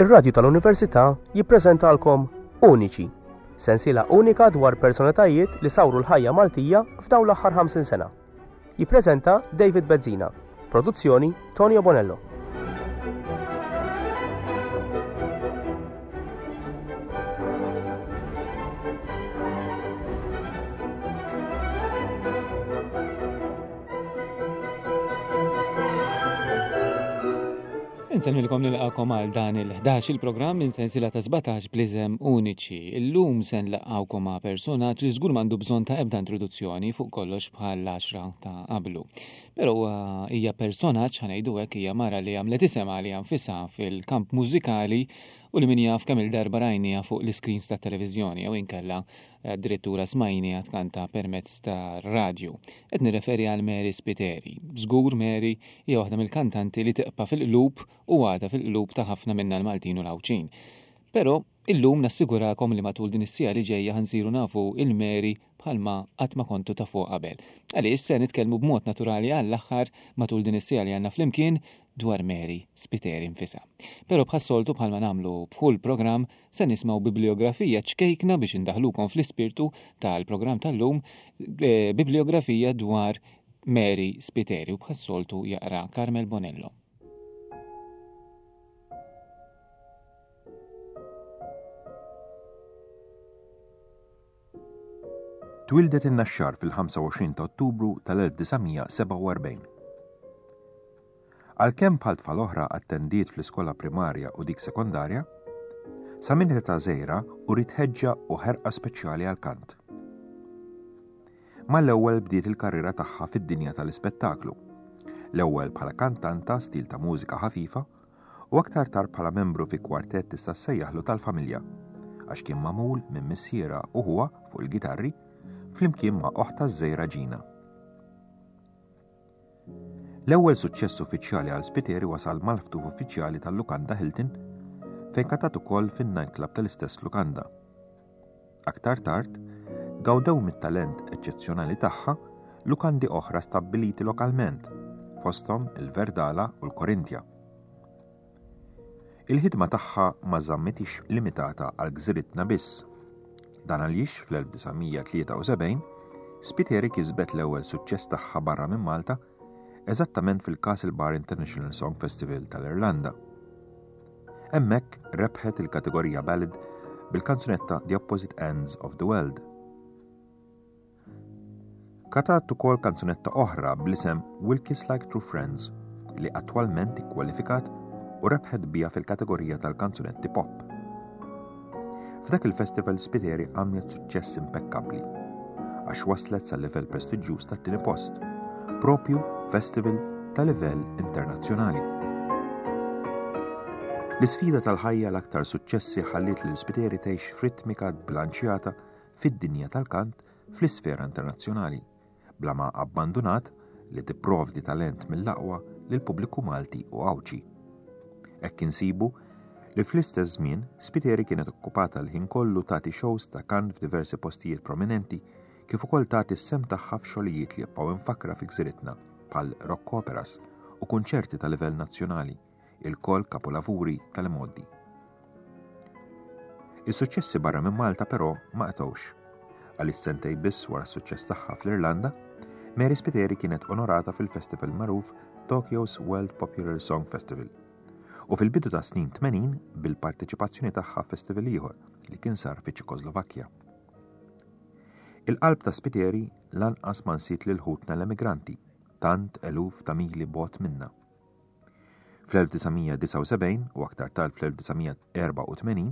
Ir-Radju tal-Università jippreżentalkom Uniċi, sensiela unika dwar personalitajiet li sawru l-ħajja Maltija f'dawn l-aħħar 50 sena. Jippreżenta David Bezzina. Produzzjoni Tonio Bonello. Insemmilkom nilqakom għal dan il-11 il-programm minn sensiela ta' 17 bliżem uniċi. Illum se nlaqgħukom ma' personaġġ li żgur m'għandu bżonn ta' ebda introduzzjoni fuq kollox bħal 10 ta' qablu. Però hija personaġġ ħanejdu hekk hija mara li għamlet isem għaliha nfisha fil-kamp mużikali u li min jaf kemm il-darba rajniha fuq l-iscreens tat-televiżjoni jew inkella addirittura smajniha tkanta permezz ta' radju. Qed nirreferi għal Mary Spiteri. Żgur Mary hija waħda mill-kantanti li tiqpa' fil-qlub u għadha fil-qlub ta' ħafna minna l-Maltin u l-Għawdxin. Però illum nassigurakom li matul din is-siegħa li ġejja ħa nsiru nafu 'l Mary bħalma qatt ma kontu tafuha qabel. Għaliex se nitkellmu b'mod naturali għall-aħħar matul din is-siegħa li għandna flimkien dwar Mary Spiteri nfisha. Però bħas-soltu bħalma nagħmlu b'kull programm se nismgħu bibliografija ċkejkna biex indaħlukom fl-ispirtu tal-programm tal-lum, eh, bibliografija dwar Mary Spiteri u bħas-soltu jaqra Carmel Bonello. Twieldet in-Naxxar fil-25 ta' Ottubru tal-1947. Għalkemm bħal tfal oħra attendiet fl-iskola primarja u dik sekondarja, sa minn età żgħira uriet ħeġġa u ħerqa speċjali għall-kant. Mal-ewwel bdiet il-karriera tagħha fid-dinja tal-ispettaklu, l-ewwel bħala kantanta stil ta' mużika ħafifa u aktar tard bħala membru fi kwartett tista' ssejjaħlu tal-familja, għax kien magħmul minn missierha u ħuha fuq il-gitarri flimkien ma' oħtha ż-żgħira Gina. L-ewwel suċċess uffiċjali għal Spiteri wasal mal-ftuħ uffiċjali tal-Lukanda Hilton fejn kantat ukoll fin-nightclub tal-istess lukanda. Aktar tard, gawdew mit-talent eċċezzjonali tagħha lukandi oħra stabbiliti lokalment, fosthom il-Verdala u l-Korinthia. Il-ħidma tagħha ma żammitix limitata għal gżiritna biss. Dan għaliex fl-1973 Spiteri kisbet l-ewwel suċċess tagħha barra minn Malta eżattament fil-Castlebar International Song Festival tal-Irlanda. Hemmhekk rebħet il-kategorija Ballad bil-kanzunetta The Opposite Ends of the World. Katat ukoll kanzunetta oħra bl-isem We'll Kiss Like True Friends li attwalment ikkwalifikat u rebħet bija fil-kategorija tal-kanzunetti pop. F'dak il-festival Spiteri għamlet suċċess impekkabbli għax waslet sal-livell prestiġjuż tat-tieni post, propju festival ta' livell internazzjonali. L-isfida tal-ħajja l-aktar suċċessi ħalliet lil Spiteri tgħix f'ritmika bilanċjata fid-dinja tal-kant fl-isfera internazzjonali. bla ma abbandunat li tipprovdi talent mill-aqwa lill-pubbliku Malti u Għawdxi. Hekk insibu li fl-istess żmien Spiteri kienet okkupata l-ħin kollu tagħti shows ta' kant f'diversi postijiet prominenti kif ukoll tagħti s-sehem tagħha f'xogħlijiet li jibqgħu imfakkra fi gżiritna bħal rock operas u kunċerti ta' livell nazzjonali ilkoll kapolavuri tal-imgħoddi. Is-suċċessi barra minn Malta però ma qtgħux. Għaliex sentej biss wara s-suċċess tagħha fl-Irlanda, Mary Spiteri kienet onorata fil-festival magħruf Tokyo's World Popular Song Festival u fil-bidu ta' snin 80 bil-parteċipazzjoni tagħha f'festival ieħor li kien sar fi Ċekoslovakkja. Il-qalb ta' Spiteri lanqas ma nsiet lil ħutna l-emigranti, tant eluf ta' mili bogħod minna. Fl-1979 u aktar tard fl-1984,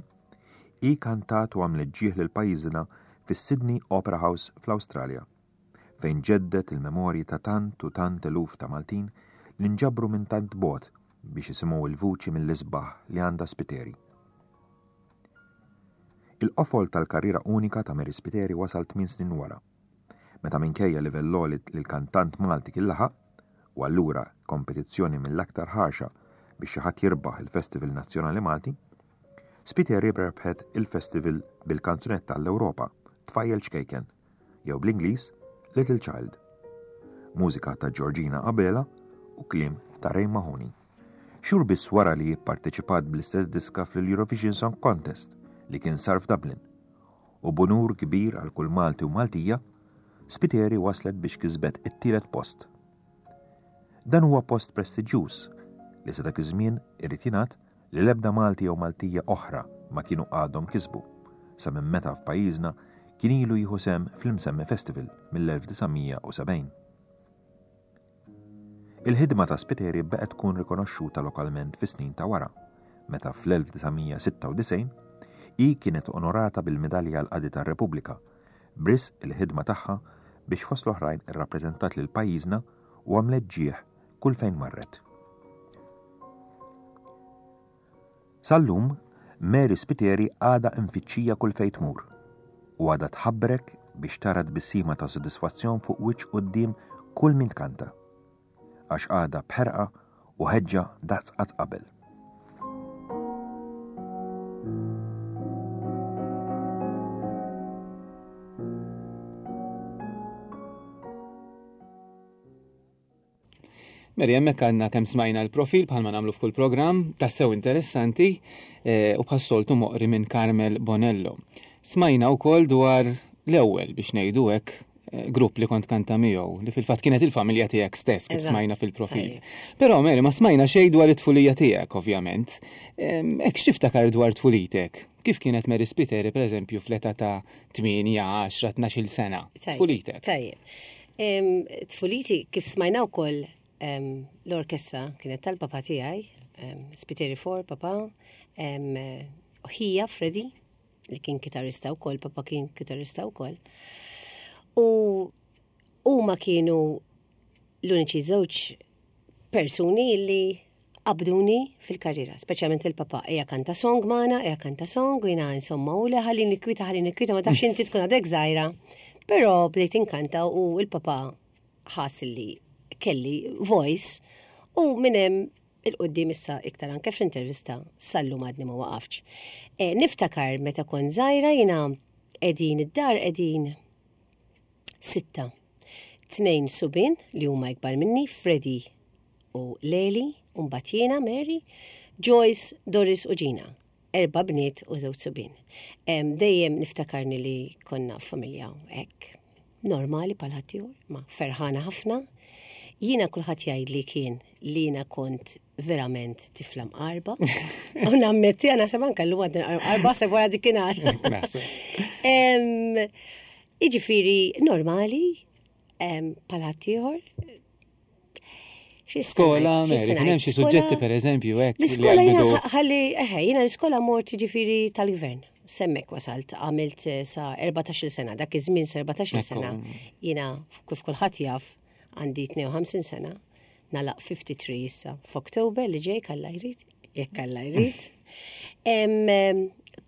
hi kantat u għamlet ġieħ lil pajjiżna fis-Sydney Opera House fl-Awstralja, fejn ġeddet il-memorji ta' tant u tant eluf ta' Maltin li nġabru minn tant bogħod biex jisimgħu l-vuċi mill-isbaħ li għandha Spiteri. Il-qofol tal-karriera unika ta' Mary Spiteri wasal tmien snin wara, meta minkejja livell għoli li l-kantant Malti kien laħaq, u allura kompetizzjoni mill-aktar ħarxa biex xi ħadd jirbaħ il-Festival Nazzjonali Malti, Spiteri rebħet il-festival bil-kanzunetta għall-Ewropa, Tfajjel Ċkejken, jew bl-Ingliż Little Child. Mużika ta' Georgina Abela u kliem ta' Ray Mahoney. Xhur biss wara li pparteċipat bl-istess diska fl-Eurovision Song Contest li kien sar f'Dublin. U b'unur kbir għal kull Malti u Maltija, Spiteri waslet biex kisbet it-tielet post. Dan huwa post prestiġjuż li sa dak iż-żmien irid jingħad li l-ebda Malti jew Maltija oħra ma kienu għadhom kisbu sa minn meta f'pajjiżna kien ilu jieħu sehem fl-imsemmi festival mill-1970. Il-ħidma ta' Spiteri baqgħet tkun rikonoxxuta lokalment fis-snin ta' wara, meta fl-1996 hi kienet onorata bil-Midalja għall-Qadi tar-Repubblika b'risq il-ħidma tagħha biex fost l-oħrajn irrappreżentat lil pajjiżna u għamlet ġieħ kull fejn marret. Sal-lum, Mary Spiteri għadha imfittxija kull fejn tmur u għadha tħabbrek biex tara tbissima ta' sodisfazzjon fuq wiċċ quddiem kull min tkanta. Għax għadha b'ħerqa u ħeġġa daqs qatt qabel. Meri, hemmhekk għandna kemm smajna l-profil bħalma nagħmlu f'kull programm, tassew interessanti eh, u bħas-soltu moqri minn Carmel Bonello. Smajna wkoll dwar l-ewwel biex ngħidu hekk eh, grupp li kont kanta miegħu, li fil-fatt kienet il-familja tiegħek stess kif smajna fil-profil. Però Meri, ma smajna xejn dwar it-tfulija tiegħek ovvjament. Hekk x'tiftakar dwar tfulitek? Kif kienet Mary Spiteri pereżempju fl-età ta' 8, 10, 12 sena? Tfulitek. Tajjeb. Tfuliti kif smajna wkoll l-orkestra kienet tal-papa tiegħi, Spiteri For, papa, ħija Freddy, li kien kitarista wkoll, papa kien kitarista wkoll. U huma kienu l-uniċi żewġ persuni li qabduni fil-karriera, speċjalment il-papa, eja kanta song magħna, eja kanta song, u jiena insomma, u le ħalli nikwita, ħalli nikwita, ma tafx inti tkun għadek żgħira. Però bdejt inkanta u il-papa ħass li kelli voice u minn hemm il-qoddim issa iktar anke fl-intervista sallum għadni ma waqafx. E, niftakar meta kont żgħira jiena qegħdin id-dar qegħdin sitta. Tnejn subien li huma ikbar minni, Freddy u Leli, u mbagħad jiena Mary, Joyce, Doris u Gina. Erba' bniet u żewġ subien. Dejjem niftakarni li konna familja hekk normali bħal ħaddieħor, ma ferħana ħafna. Jiena kulħadd jgħidli kien li jiena kont verament tifla mqarba. U nammetti għana seban kallu għadna mqarba se wara dikinhar. Iġifiri normali, bħal ħaddieħor. Skola, Mary, kien hemm xi suġġetti pereżempju hekk. L-iskola jiena ħalli, eħe, jiena l-iskola mort ġifieri tal-gvern. Semmek wasalt, għamilt eh, sa 14 sena, dak iż-żmien sa 14 sena. Jiena kif kulħadd jaf għandi 52 sena, nalaq 53 issa f'Oktober li ġej kalla jrid, jekk kalla jrid.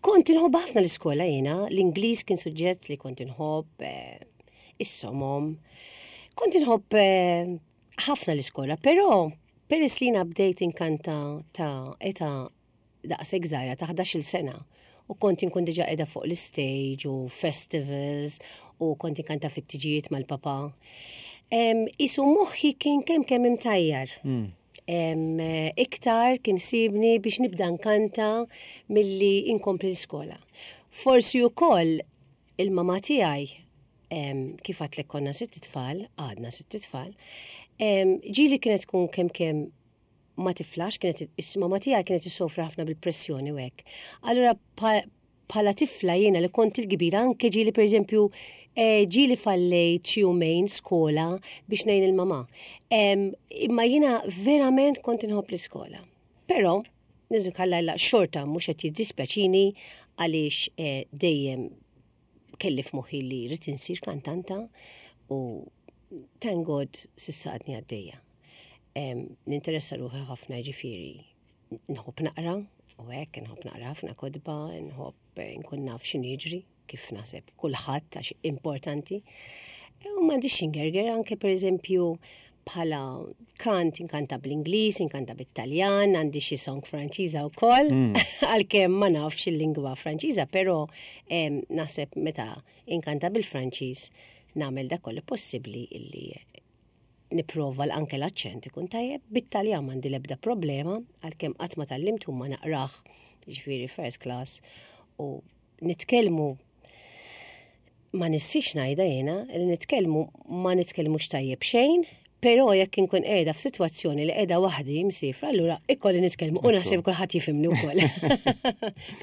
Kont inħobb ħafna l-iskola jiena, l-Ingliż kien suġġett li kont inħobb, eh, is-somom. Kont inħobb eh, ħafna l-iskola, però peress li jiena bdejt inkanta ta' età daqshekk żgħira ta' 11-il sena u kont inkun diġà qiegħda fuq l-istage u festivals u kont inkanta fit-tiġijiet mal-papa. Isu moħħi kien kemm kemm imtajjar. Mm. Iktar kien sibni biex nibda nkanta milli inkompli l-iskola. Forsi wkoll il-mama tiegħi kif għatlek konna sitt tfal, għadna sitt tfal, ġili kienet tkun kemm kemm ma tiflax, kienet is-mama tiegħi kienet issofri ħafna bil-pressjoni u hekk. Allura bħala tifla jiena li kont il-kbira anke ġieli pereżempju eh, ġieli fallejt xi jumejn skola biex ngħin il-mama. Imma jiena verament kont inħobb l-iskola. Però niżu kalla xorta mhux qed jiddispjaċini għaliex eh, dejjem kelli f'moħħi li rrid insir kantanta u thank God sissa għadni għaddejja. Ninteressa ruħi ħafna ġifieri nħobb naqra u hekk nħobb naqra ħafna kotba, nħobb eh, nkun naf x'inhu jiġri kif naħseb kulħadd għax importanti. E, u m'għandix ingerger anke pereżempju bħala kant inkanta bl-Ingliż, inkanta bit-Taljan, għandi xi song Franċiża wkoll, mm. għalkemm ma nafx il-lingwa Franċiża, però naħseb meta inkanta bil-Franċiż nagħmel dak kollu possibbli illi. Nipprova anke l-aċċent ikun tajjeb, bit-Taljan m'għandi l-ebda problema, għalkemm qatt ma tgħallimt ma naqrah, ġifieri first class, u nitkellmu ma nissix ngħidha jiena li nitkellmu ma nitkellmux tajjeb xejn, però jekk inkun qiegħda f'sitwazzjoni li qiegħda waħdi msifra, allura ikolli nitkellmu u naħseb kulħadd jifhimni wkoll.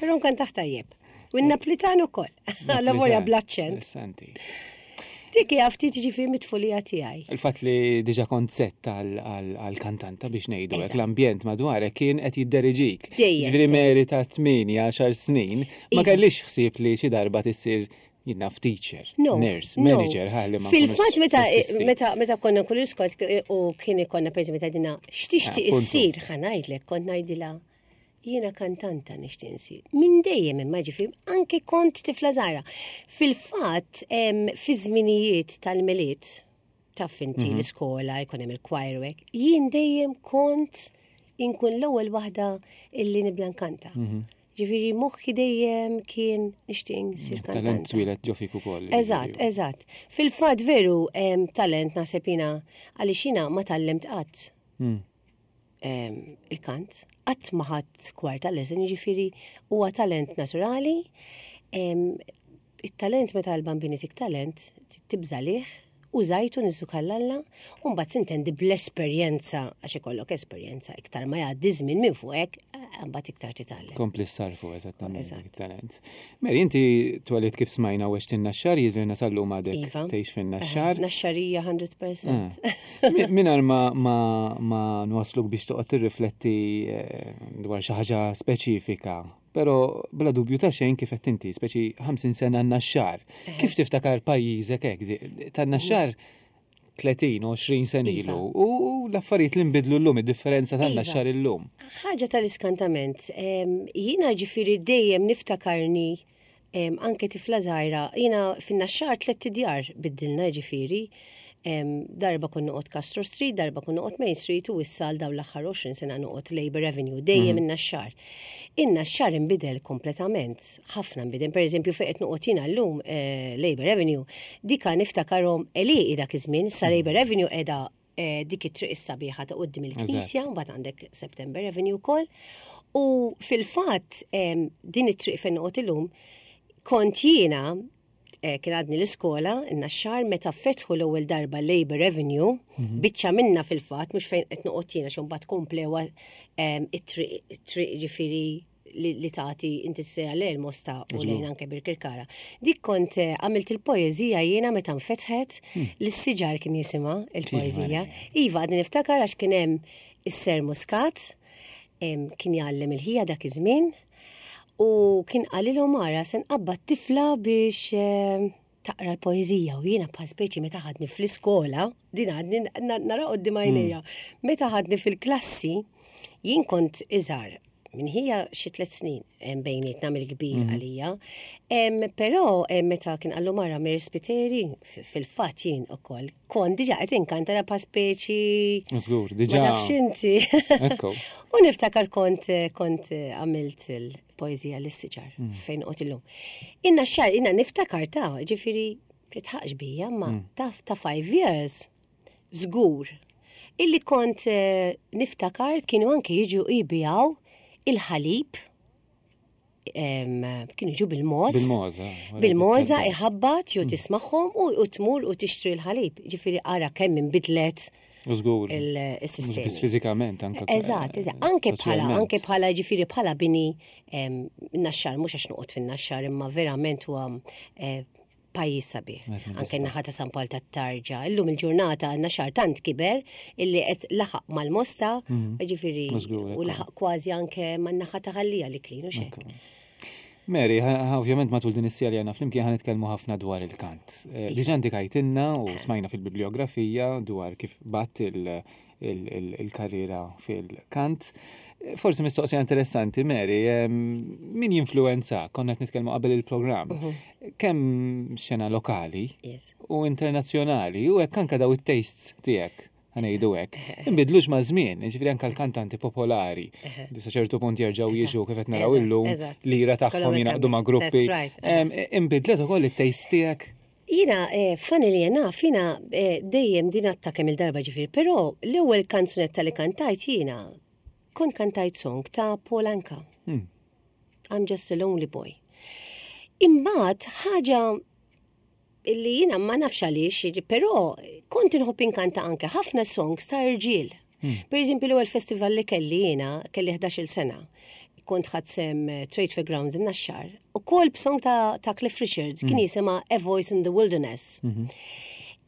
Però nkun taħt tajjeb. U n-Naplitan ukoll. Alla volja bl-aċċent. Interessanti. Dik hija ftit ġifieri mit-tfulija tiegħi. Il-fatt li diġà kont sett għal-kantanta biex ngħidu hekk l-ambjent madwarek kien qed jidderiġik. Ġifieri Mary ta' 8 10 snin ma iva. kellix ħsieb li xi darba tissir jinnaf teacher, no, nurse, no. manager, ħalli ma. Fil-fatt meta meta meta konna kull iskot u kien ikonna pereżempju meta dina x'tixtieq issir ħa ngħidlek kont ngħidilha Jiena kantanta nixtieq insir. Minn dejjem imma ġifieri anke kont tifla żgħira. Fil-fatt fi żminijiet tal-Milied taf inti mhm. l-iskola jkun hemm il-choir hekk, jien dejjem kont inkun l-ewwel waħda illi nibda nkanta. Mhm. Ġifieri moħħi dejjem kien nixtieq insir kantanta. Talent twieled ġo fik ukoll. Eżatt, eżatt. Fil-fatt veru talent naħseb jiena għaliex jiena ma tgħallimt qatt. Hmm. il-kant, qatt ma ħadd kwarta lesson, jiġifieri huwa talent naturali. Il-talent meta l-bambini tik talent, tibża lih, użajtu niżu kallalla, u mbagħad sintendi bl-esperjenza għax ikollok esperjenza iktar ma jgħaddi żmien minn fuqek, eh, mbagħad iktar titgħallem. Kompli sarfu eżattament it-talent. Mary, inti twelidt kif smajna u għext in-Naxxar, jidhirna sal-lum għadek iva. tgħix fin-Naxxar. Naxxarija 100%. Ah. Mingħajr ma, ma, ma nwasluk biex toqgħod tirrifletti eh, dwar xi ħaġa speċifika, però bla dubju ta' xejn kif qed inti, speċi 50 sena n-Naxxar. Eh. Kif tiftakar pajjiżek hekk? Tan-Naxxar 30, 20 sena iva. ilu u l-affarijiet li nbidlu llum, id-differenza ta' iva. xar illum. Ħaġa tal-iskantament, jiena ġifieri dejjem niftakarni anke tifla żgħira, jiena fin-naxxar tlett idjar biddilna ġifieri. Darba kun noqgħod Castro Street, darba kun noqgħod Main Street u issa għal dawn l-aħħar 20 sena noqgħod Labor Avenue, dejjem mm. in-naxxar. In-naxxar inbidel kompletament ħafna nbidel. Per eżempju, fejn qed noqgħod jiena llum eh, Labor Avenue, dika niftakarhom għelieqi dak iż-żmien, sa mm. Labor Avenue qiegħda eh, dik it-triq is-sabiħa ta' quddiem il-Knisja, mbagħad għandek September Avenue wkoll. U fil-fatt din it-triq fejn noqgħod illum kont jiena eh, kien għadni l-iskola, in-naxxar meta fetħu l-ewwel darba Labor Avenue, mhm. biċċa minna fil-fatt, mhux fejn qed noqgħod jiena xi mbagħad komplewa it-triq ġifieri li tagħti inti s-sera lejn Mosta u lejn anke Birkirkara. Dik kont eh, għamilt il-poeżija jiena meta nfetħet hmm. li s-siġar kien jisimha il-poeżija. Iva għadni niftakar għax kien hemm is-Ser Muscat kien jgħallem il-ħija dak iż-żmien u kien qalilhom ara se nqabbad tifla biex eh, taqra l-poeżija u jiena bħal speċi meta ħadni fl-iskola, din għadni nara qoddim għajnejja, hmm. meta ħadni fil-klassi, jien kont iżgħar minn ħija xi tliet snin bejnietna mill-kbir hmm. għalija. Però meta kien qallu mara Mary Spiteri, fil-fatt jien ukoll kont diġà qed inkanta pa speċi. Żgur, diġà. Ma nafx inti. U niftakar kont kont għamilt il- poeżija lis-siġar mm. fejn qot illum. Inna xar, inna niftakar ta' ġifiri titħaqx bija, ma mm. taf ta' five years, żgur. Illi kont eh, niftakar kienu anke jiġu jibijaw il-ħalib kienu jiġu bil-moz. Bil-moza. Bil-moza iħabbat jew mm. tismagħhom u tmur u tixtri l-ħalib. Ġifieri ara kemm inbidlet Żgur. Il-sistema. Biss fiżikament anke. Eżatt, eżatt. Anke bħala, anke bħala ġifieri bħala bini naxxar, mhux għax noqgħod fin-naxxar, imma verament huwa eh, pajjiż sabiħ. Anke naħa ta' San Pawl tat-Tarġa. Illum il-ġurnata naxxar tant kiber illi qed laħaq mal-Mosta, mhm. ġifieri u laħaq kważi anke man-naħa ta' Ħallija li klinu xek. Mary, ovvjament matul din is-sija li għandna flimkien ħa nitkellmu ħafna dwar il-kant. Eh, diġà indikajtilna u smajna fil-bibliografija dwar kif bat il-karriera fil-kant. Eh, forsi mistoqsija interessanti, Mary, min jinfluenza, konna qed nitkellmu qabel il-programm, mhm. kemm xena lokali u internazzjonali u hekk anke daw it-tastes tiegħek ħa ngħidu hekk. Inbidlux ma' żmien, jiġifieri anke l-kantanti popolari li sa ċertu punt jerġgħu jiġu kif qed naraw illum lira tagħhom jingħaqdu ma' gruppi. Inbidlet ukoll it-taste tiegħek? Jiena, eh, funnily enough, jiena eh, dejjem din għatta kemm il-darba ġifieri, però l-ewwel kanzunetta li kantajt jiena kont kantajt song ta' Paul Anka. I'm just a lonely boy. Imbagħad ħaġa illi jiena ma nafx għaliex, però kont inħobb inkanta anke ħafna songs ta' irġiel. Per eżempju, l-ewwel festival li kelli jiena, kelli 11-il sena, kont ħadt sehem eh, Trade Fair Grounds in Naxxar, u kol b'song ta', ta Cliff Richards, kien jisimha A Voice in the Wilderness.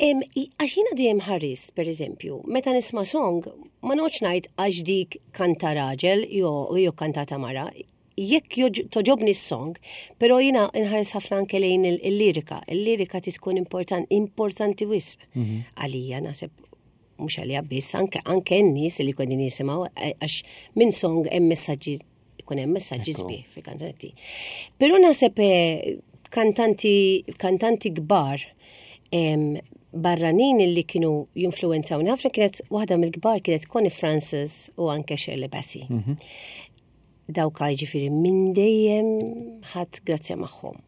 Għax jiena dejjem ħarist, per eżempju, meta nisma' song, ma noqgħodx ngħid għax dik kanta raġel jew jew kantata mara, jekk toġobni s-song, però jiena nħares ħafna anke lejn il-lirika. Il-lirika ti tkun importanti wisq għalija, naħseb mhux għalija biss, anke anke n-nies li kodin jisimgħu eh, għax minn song hemm messaġġi ikun hemm messaġġi sbieħ fil-kanzunetti. Però naħseb eh, kantanti kantanti kbar barranin li kienu jinfluwenzawni ħafna kienet waħda mill-kbar kienet Connie Francis u anke Shirley Bassey. Dawk ġifieri minn dejjem ħadd grazzja magħhom.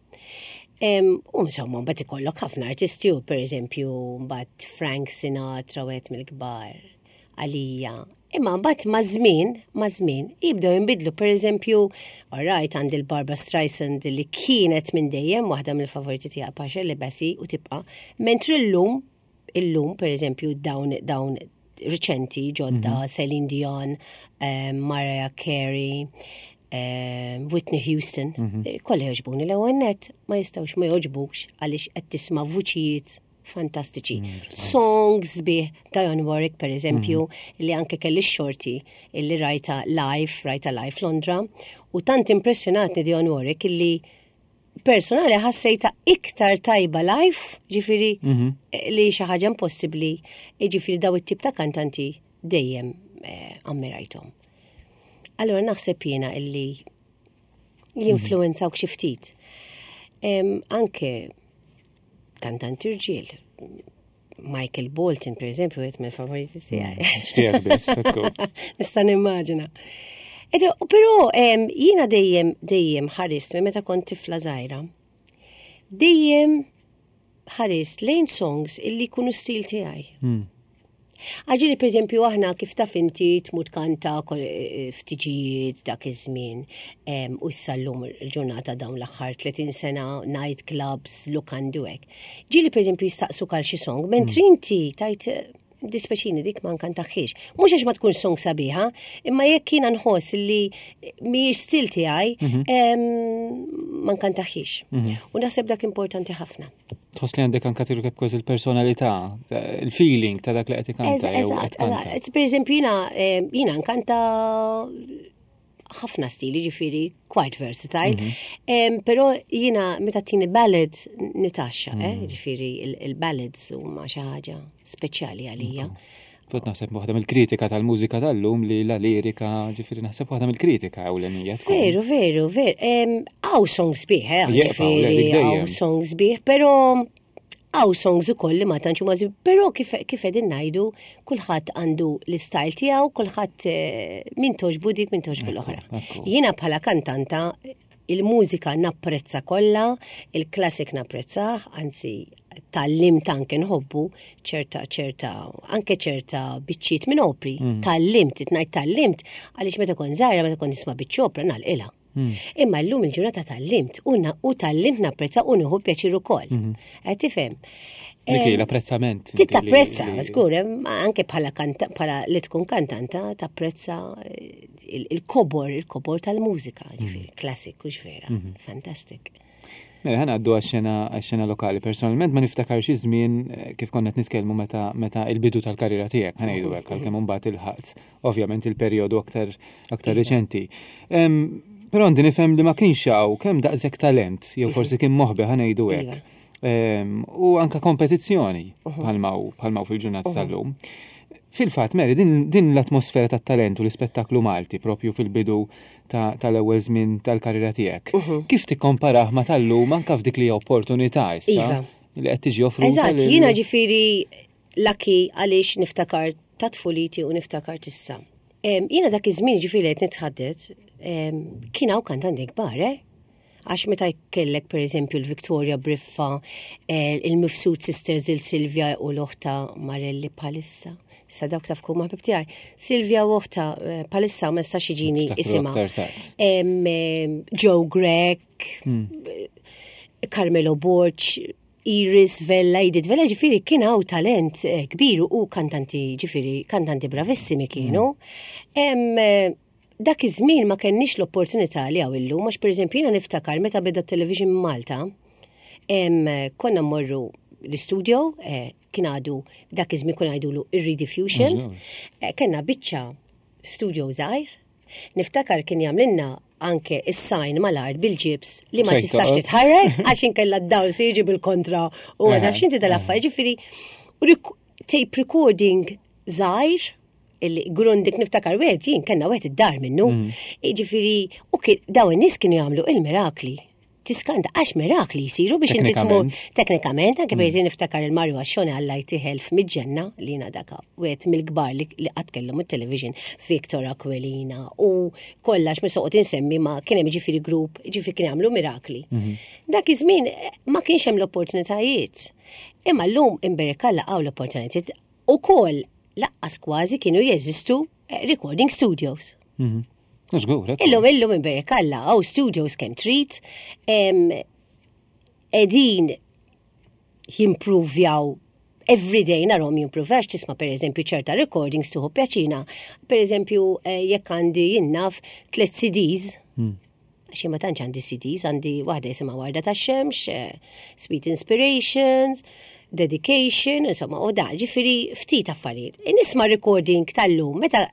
U insomma, mbagħad ikollok ħafna artisti u pereżempju mbagħad Frank Sinatra wieħed mill-kbar għalija. Imma mbagħad ma' żmien, ma' żmien jibdew jinbidlu pereżempju, alright għandi l-Barbra Streisand li kienet minn dejjem waħda mill-favoriti tiegħi pa' Shirley Bassey u tibqa' mentri llum illum pereżempju dawn dawn riċenti ġodda mm -hmm. Celine Dion, um, Mariah Carey, um, Whitney Houston, mm -hmm. kollha jogħġbuni l-ewwel net ma jistgħux ma jogħġbukx għaliex qed tisma' vuċijiet fantastiċi. Songs bih Dionne Warwick per eżempju, mm -hmm. li anke kelli xorti illi rajta live, rajta live Londra, u tant impressjonatni Dionne Warwick illi personali ħassejta iktar tajba live, ġifiri mm -hmm. li xi ħaġa impossibbli, ġifiri daw it-tip ta' kantanti dejjem eh, ammirajthom. Allora naħseb jiena illi jinfluwenzawk xi ftit. Anke kantanti rġiel, Michael Bolton, per eżempju, għet mill favoriti tiegħi. Xtijak biss, Nista' nimmaġina. Però jiena dejjem dejjem ħarist minn meta kont tifla żgħira. Dejjem ħarist lejn songs illi jkunu stil tiegħi. Għaġili, per eżempju, aħna kif taf inti tmut kanta eh, ftiġijiet dak iż-żmien u issa llum il-ġurnata dawn l-aħħar 30 sena night clubs, lukandi u hekk. Ġieli per eżempju jistaqsuk għal xi song, mentri mm. inti tajt eh, dispeċini dik ma nkantaħħiex. Mhux għax ma tkun song sabiħa, imma jekk jiena nħoss li mhijiex stil tiegħi, mhm. ma nkantaħħiex. Mhm. U naħseb dak importanti ħafna. Tħoss li għandek anka tirkeb kważi il-personalità, il-feeling ta' dak li qed ikanta jew qed kanta. Per eżempju jiena jiena nkanta ħafna stili ġifieri quite versatile. Mm -hmm. Però jiena meta tini ballad nitaxxa, mm. eh, ġifieri il-ballads huma xi ħaġa speċjali għalija. Fot naħseb waħda mill-kritika tal-mużika tal-lum li la lirika, ġifieri naħseb waħda mill-kritika ewlenija. Veru, veru, veru. Għaw songs bih, eh, ġifieri għaw songs bih, però għaw songs ukoll li ma tantx huma però kif kif qegħdin ngħidu kulħadd għandu l-istyle tiegħu, kulħadd eh, min toġbu dik min toġbu l-oħra. Jiena bħala kantanta il-mużika napprezza kollha, il-classic napprezzah, anzi tgħallimt anke nħobbu ċerta ċerta anke ċerta biċċiet minn opri. Tgħallimt, ngħid tgħallimt għaliex meta kont żgħira meta kont nisma' biċċa opra nagħlqilha. Imma llum il-ġurnata tgħallimt u tgħallimt napprezza u nieħu pjaċir ukoll. Mhm. Qed tifhem? Dik l-apprezzament. Ti tapprezza, żgur, anke bħala bħala li tkun kantanta tapprezza eh, il-kobor, il-kobor tal-mużika, ġifieri, mm. klassik, hux vera, mhm. fantastik. Mela ħana għaddu għax-xena lokali. Personalment ma niftakar xi żmien eh, kif konna qed nitkellmu meta meta il-bidu tal-karriera tiegħek, ħa ngħidu hekk għalkemm imbagħad ilħaqt ovvjament il-perjodu aktar aktar iva. riċenti. Però għandi nifhem li ma kienx hawn kemm daqshekk talent, jew mhm. forsi kien moħbi ħa ngħidu hekk. Iva. U anka kompetizzjoni mhm. bħalma fil-ġurnata mhm. tal-lum. Fil-fatt, Mary, din, din l-atmosfera tat-talent u l-ispettaklu Malti propju fil-bidu tal-ewwel żmien tal-karriera tiegħek. Mhm. Kif tikkomparah ma tal-lum anka f'dik li opportunità issa iva. li qed tiġi offruta? Eżatt, jiena ġifieri lucky għaliex niftakar ta' tfuliti u niftakar tissa. Jiena dak iż-żmien ġifieri qed nitħaddet kien hawn kantanti kbar, eh? Għax meta jkellek per eżempju l-Victoria Briffa, eh, il-Mifsud Sisters il-Silvia u l-oħta Marelli bħalissa. Sa dawk taf kuma ħbib tiegħi. Silvia u oħta eh, bħalissa ma nistax jiġini isimha. Joe Grech, hmm. Carmelo Borg, Iris Vella, Edith Vella, ġifiri kien hawn talent eh, kbir u kantanti ġifiri, kantanti bravissimi kienu. Mm. Dak iż-żmien ma kenniex l-opportunità li hawn illum, għax pereżempju jiena niftakar meta beda t-television Malta, konna mmorru l-istudio, eh, kien għadu dak iż-żmien konna ngħidulu ir-rediffusion, eh, kellna biċċa studio żgħir, niftakar kien jagħmlilna anke is-sajn mal-art bil-ġibs li ma tistax titħarrek għax inkella d-dawl se jiġi bil-kontra u għadha x'inti dal-affarijiet ġifieri tape recording żgħir illi grundik niftakar wieħed jien kellna wieħed id-dar minnu. Mm. Jiġifieri u daw in-nies kienu jagħmlu il-mirakli. Tiskanta għax mirakli jsiru biex inti tmur teknikament anke mm. niftakar il-Mario Għaxxoni għalla jtiħel f'miġġenna li jiena daka wieħed mill-kbar li qatt kellhom it-television Victor Aquilina u kollax mi soqgħod insemmi ma kien hemm ġifieri grupp ġifieri kien jagħmlu mirakli. Mm-hmm. Dak iż-żmien eh, ma kienx hemm l-opportunitajiet. Imma llum imberek Alla hawn l-opportunitajiet ukoll laqqas kważi kienu jeżistu eh, recording studios. Mhm. Żgur, Illum illum imberek Alla hawn studios kemm trid, qegħdin jimprovjaw everyday narhom jimprovjaw tisma' per eżempju ċerta recordings tuħu pjaċina. Per eżempju eh, jekk għandi jinnaf tliet CDs, hmm. Għax ma tantx għandi CDs, għandi waħda jisimha Warda tax-Xemx, eh, Sweet Inspirations, Dedication, insomma, u da, ġifieri ftit affarijiet. Nisma' recording tal-lum, meta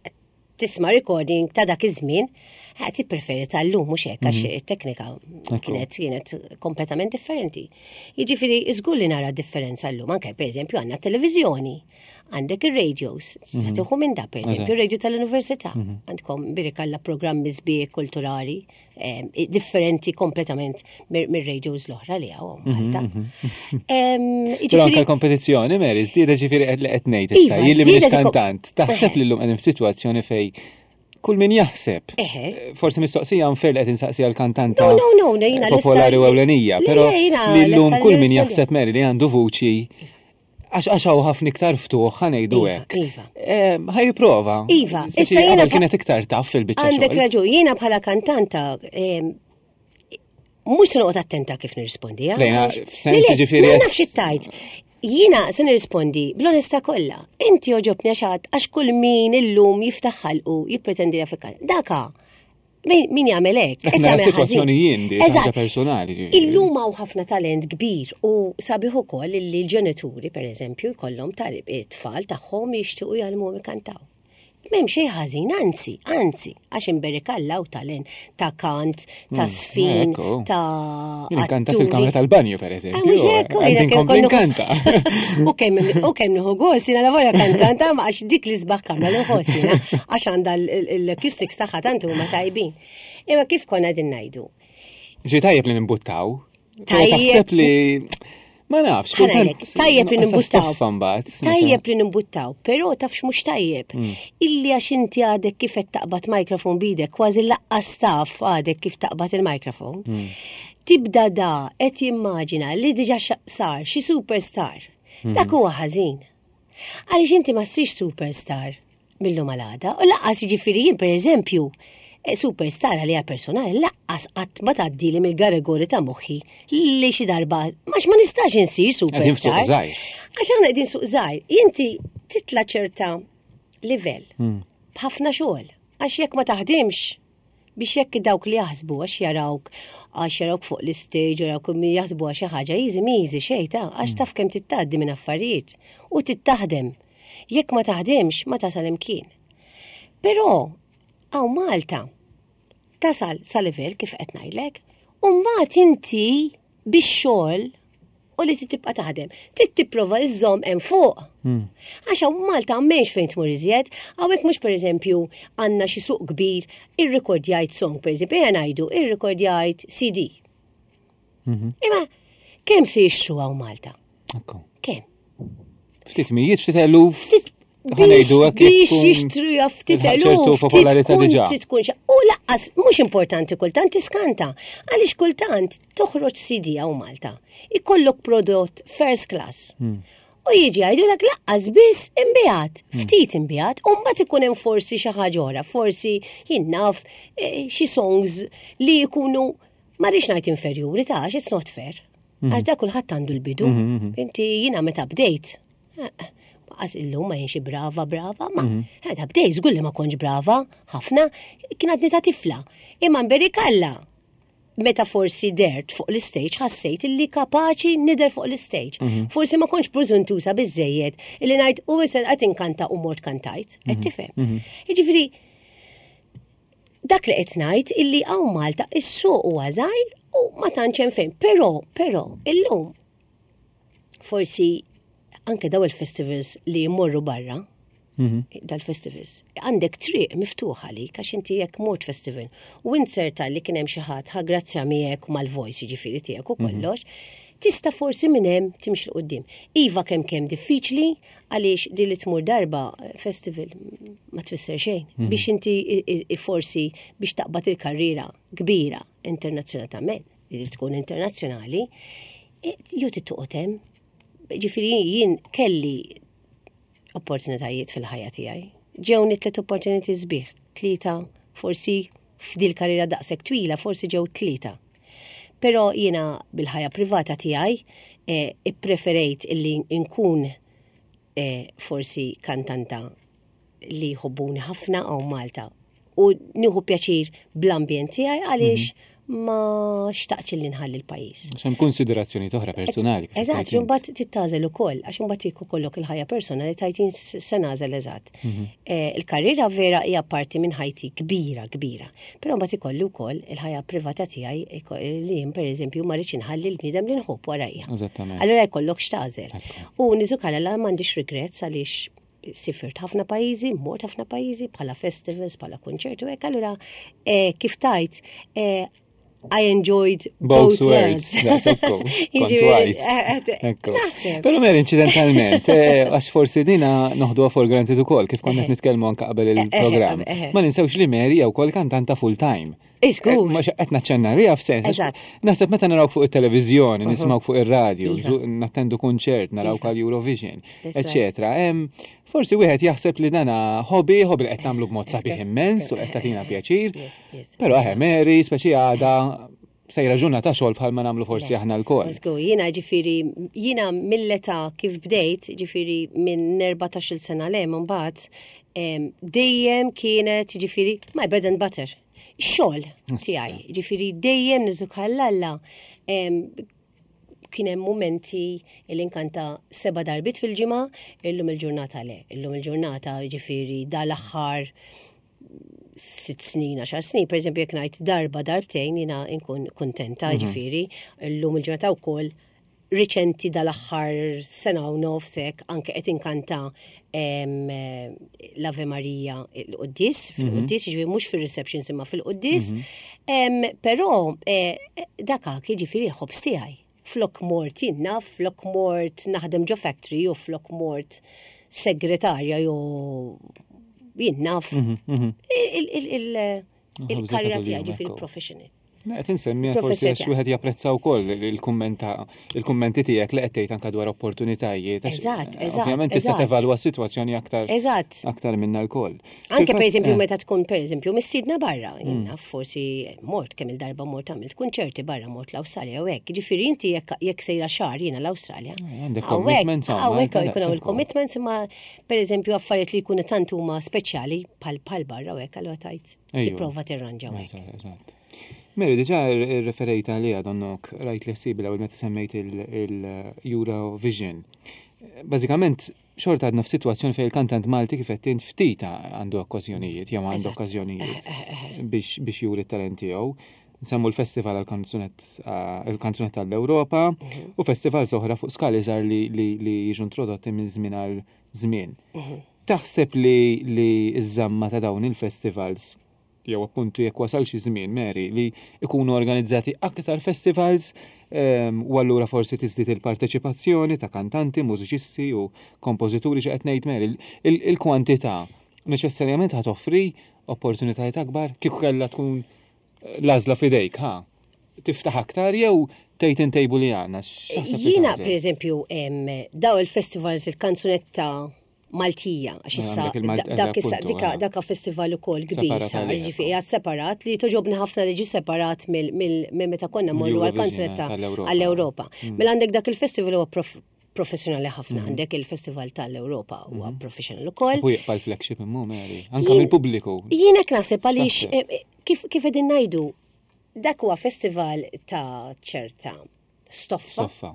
tisma' recording ta' dak iż-żmien, eh, tippreferi tal-lum mhux hekk għax mhm. it-teknika kienet kienet kompletament differenti. Jiġifieri żgur li nara differenza llum anke pereżempju għandna televiżjoni għandek ir-radios, se mhm. tieħu minn da pereżempju, ir-radio tal-università. Mhm. Għandkom birikalla programmi sbieħ kulturali eh, differenti kompletament mir-radios l-oħra li hawn mhm, Malta. Però anke l-kompetizzjoni, Mary, żdiedet ġifieri qed li qed ngħid issa, iva, jien li m'iniex kantant, taħseb li llum qegħdin f'sitwazzjoni fej kull min jaħseb. Eh, forsi mistoqsija unfair li qed insaqsija l-kantanta no, no, no, popolari u ewlenija, però li llum kull min jaħseb Mary li għandu vuċi Għax għax hawn ħafna iktar ftuħ ħanejdu iva, hekk. Iva. Eh, ħaj jipprova. Iva, issa jiena kienet iktar taf fil-biċċa. Għandek raġun, jiena bħala kantanta mhux se noqgħod attenta kif nirrispondi. Eh? Lejna, f'sens ġifieri. Ma nafx it-tajt. Jiena se nirrispondi bl-onesta kollha. Inti oġobni għax għax kull min illum jiftaħ ħalqu jippretendi Afrikan. Daka, Min jagħmel hekk? Qed jagħmel sitwazzjoni jien di ħaġa personali. Illum hawn ħafna talent kbir u sabiħ ukoll li l-ġenituri pereżempju jkollhom it-tfal tagħhom jixtiequ jgħallmuhom ikantaw. M'hemm xejn ħażin, anzi, anzi, għax imberek Alla u talent ta' kant, ta' hmm, sfin, ta' Jien kanta fil-kamra tal-banju pereżempju. Ah, mhux hekk, Għandi nkompli nkanta. U kemm u kemm nieħu gost, jiena lavora kantanta ma għax dik li sbaħ kamra li nħoss jiena għax għandha l-acoustics tagħha tant huma tajbin. Imma kif konna din ngħidu? Ġi tajjeb li nimbuttaw. Tajjeb li ma nafx, kultant. Tajjeb li nimbuttaw. Tajjeb li nimbuttaw, però tafx mhux tajjeb. Mm. Illi għax inti għadek kif qed taqbad mikrofon bidek, kważi laqqas taf għadek kif taqbad il-mikrofon. Mm. Tibda da qed jimmaġina li diġà sar xi superstar. Mm. Dak huwa ħażin. Għaliex inti ma ssirx superstar mill-lum għal għada, u laqqas jiġifieri jien pereżempju eh, superstar għalija personali laqqas qatt ma tgħaddili mill-garegori ta' moħħi li xi darba għax ma nistax insir superstar. Għax aħna qegħdin suq żgħir, inti titla' ċerta livell hmm. b'ħafna xogħol. Għax jekk ma taħdimx, biex jekk dawk li jaħsbu għax jarawk għax jarawk fuq l-istage, jarawk min jaħsbu għax xi ħaġa easy miżi xejn ta' għax hmm. taf kemm tittgħaddi minn affarijiet u tittaħdem. Jekk ma taħdimx ma tasal imkien. Però hawn Malta tasal sa livell kif qed ngħidlek, u mbagħad inti bix-xogħol u li tibqa' taħdem. Trid tipprova iżżomm hemm fuq. Hmm. Għax hawn Malta m'hemmx fejn tmur iżjed, hawnhekk mhux pereżempju għandna xi suq kbir irrikordjajt song pereżempju, ejja ngħidu irrikordjajt CD. Mhm. Imma kemm se jixtru hawn Malta? Kemm? Ftit mijiet, ftit eluf. Ħa ngħidu hekk biex jixtru ftit ċertu popolarità diġà. Tkun u laqqas mhux importanti kultant tiskanta għaliex kultant toħroġ CD hawn Malta. Ikollok prodott first class. U jiġi jgħidulek laqqas biss imbijat, ftit imbijat, u mbagħad ikun hemm forsi xi ħaġa oħra, forsi jien naf eh, xi songs li jkunu ma rridx ngħid inferjuri ta' għax it's not fair. Għax da kulħadd għandu l-bidu. Inti jiena meta bdejt, Għas illum ma jienxi brava, brava, ma meta bdejt żgur li ma kontx brava ħafna, kien għadni ta' tifla. Imma nberikalla meta forsi dert fuq l-istage ħassejt illi kapaċi nider fuq l-istage. Forsi ma kontx preżuntusa biżejjed illi ngħid u issa qed inkanta u mort kantajt, qed tifhem. Jiġifieri dak li qed ngħid illi hawn Malta is-suq huwa żgħir u ma tantx hemm fejn. Però, però, illum forsi anke daw il-festivals li jmorru barra, dal-festivals, għandek triq miftuħa li għax inti jekk mort festival u inserta li kien hemm xi ħadd ħa grazzja miegħek mal-voice jiġifieri tiegħek u kollox, tista' forsi minn hemm timxi 'l quddiem. Iva kemm kemm diffiċli għaliex din li tmur darba festival ma tfisser xejn. Biex inti forsi biex taqbad il-karriera kbira internazzjonalment, li tkun internazzjonali, jew tittoqgħod hemm. Ġifieri jien kelli opportunitajiet fil-ħajja tiegħi. Ġewni tliet opportunitajiet sbieħ, tlieta forsi f'dil karriera daqshekk twila forsi ġew tlieta. Però jiena bil-ħajja privata tiegħi eh, ippreferejt illi nkun eh, forsi kantanta li jħobbuni ħafna hawn Malta u nieħu pjaċir bl-ambjent tiegħi għaliex ma xtaqtx li nħalli l-pajjiż. Hemm konsiderazzjoni oħra personali. kif Eżatt, tgħid int. mbagħad tittagħżel ukoll, għax imbagħad jekk ikollok il-ħajja personali tgħid jien se nagħżel eżatt. Eh, Il-karriera vera hija parti minn ħajti kbira, kbira. Però mbagħad ikolli wkoll il-ħajja privata tiegħi iko- li jien pereżempju ma rridx inħalli l-bniedem li nħobb warajja. Eżattament. Allura jkollok x'tagħżel. Ekku. U niżukala la m'għandix regrets għaliex sifirt ħafna pajjiżi, mort ħafna pajjiżi bħala festivals, bħala konċertu hekk, allura eh, kif tajt eh, I enjoyed Both both, worlds. worlds. That's ekku. Kont Jiġifieri, wise. eh, Ekku. Naħseb. Però mer incidentalment, għax forsi dina noħduha for granted ukoll kif konna qed nitkellmu anke qabel il-programm. eh, eh. Ma ninsewx li Mary hija wkoll kantanta full time. Iżgur. Ma qed naċċenna riha f'sens. għax Eżatt. Naħseb meta narawk fuq it-televiżjoni, nismgħu fuq ir-radju, Iva. nattendu kunċert, narawk Iva. għal Eurovision, That's right. eċetera. Forsi wieħed jaħseb li dana hobby, hobby li qed tagħmlu b'mod sabiħ immens u qed tagħtina pjaċir. Yes, yes. Però eħe Mary, speċi għada sejra ġurnata xogħol bħalma nagħmlu forsi Le. aħna lkoll. Żgur, jiena ġifieri, jiena mill-età kif bdejt, ġifieri minn 14 sena le mbagħad, em, dejjem kienet ġifieri my bread and butter. Xogħol tiegħi, ġifieri dejjem niżukallalla. Kien hemm momenti li nkanta seba' darbiet fil-ġimgħa, illum il-ġurnata le, illum il-ġurnata ġifieri dal-aħħar sitt snin, għaxar snin, per eżempju, jekk ngħid darba darbtejn jiena nkun kuntenta, ġifieri, illum il-ġurnata wkoll riċenti dal-aħħar sena u nofsek anke qed inkanta em, l-Ave Maria il-Quddis, fil-Quddis, ġifieri mhux fil-receptions imma fil-Quddis. Em, Però eh, daka jiġifieri l-ħobż tiegħi. Flok mort jien naf, flok mort naħdem ġo factory u flok mort segretarja jew jien naf. Il-karriera tiegħi ġifieri professional. Qed insemmi forsi għax wieħed japprezza wkoll il-kummenta il-kummenti tiegħek li qed tgħid anke dwar opportunitajiet. Eżatt, eżatt. Ovvjament tista' tevalwa s-sitwazzjoni aktar. Eżatt. Aktar minna lkoll. Anke pereżempju meta tkun pereżempju mistiedna barra, jiena forsi mort kemm il-darba mort għamilt kunċerti barra mort l-Awstralja u hekk. Ġifieri inti jekk sejra xahar jiena l-Awstralja. Għandek commitments hawnhekk jkun hawn il-commitments imma pereżempju affarijiet li jkunu tant huma speċjali bħal barra u hekk allura tajt tipprova tirranġa hekk. Eżatt. Mary, diġà referejt għaliha donnok rajt li ħsibi l-ewwel meta semmejt il-Eurovision. Bażikament, xorta għadna f'sitwazzjoni fejn il-kantant Malti kif qed int ftit għandu okkażjonijiet, jew għandu okkażjonijiet biex juri t-talent tiegħu. Nsemmu l-festival għal-kanzunetta għall-Ewropa u festival oħra fuq skali żgħar li jiġu introdotti minn żmien għal żmien. Taħseb li ż-żamma ta' dawn il-festivals jew appuntu jekk wasal xi żmien Mary li ikunu organizzati aktar festivals ehm, u allura forsi tiżdied il-parteċipazzjoni ta' kantanti, mużiċisti u kompożituri xi qed ngħid Mary il-kwantità neċessarjament ħa toffri opportunitajiet akbar kieku kellha tkun l-għażla f'idejk, ha? Tiftaħ aktar jew tgħid intejbu li għandna? Jiena pereżempju daw il-festivals il-kanzunetta Maltija, għax issa dak issa dika daka festival ukoll kbir sar, ġifieri qiegħed separat li toġobni ħafna li ġi separat mill meta konna morru għall-kanzunetta għall-Ewropa. Mm. Mela għandek dak il-festival huwa professjonali ħafna mm. għandek il-Festival tal-Ewropa huwa mm. professional ukoll. U jibqa' l-flagship immu Mary, anke mill-pubbliku. Jiena naħseb għaliex eh, eh, kif kif qegħdin ngħidu dak huwa festival ta' ċerta stoffa. Stoffa.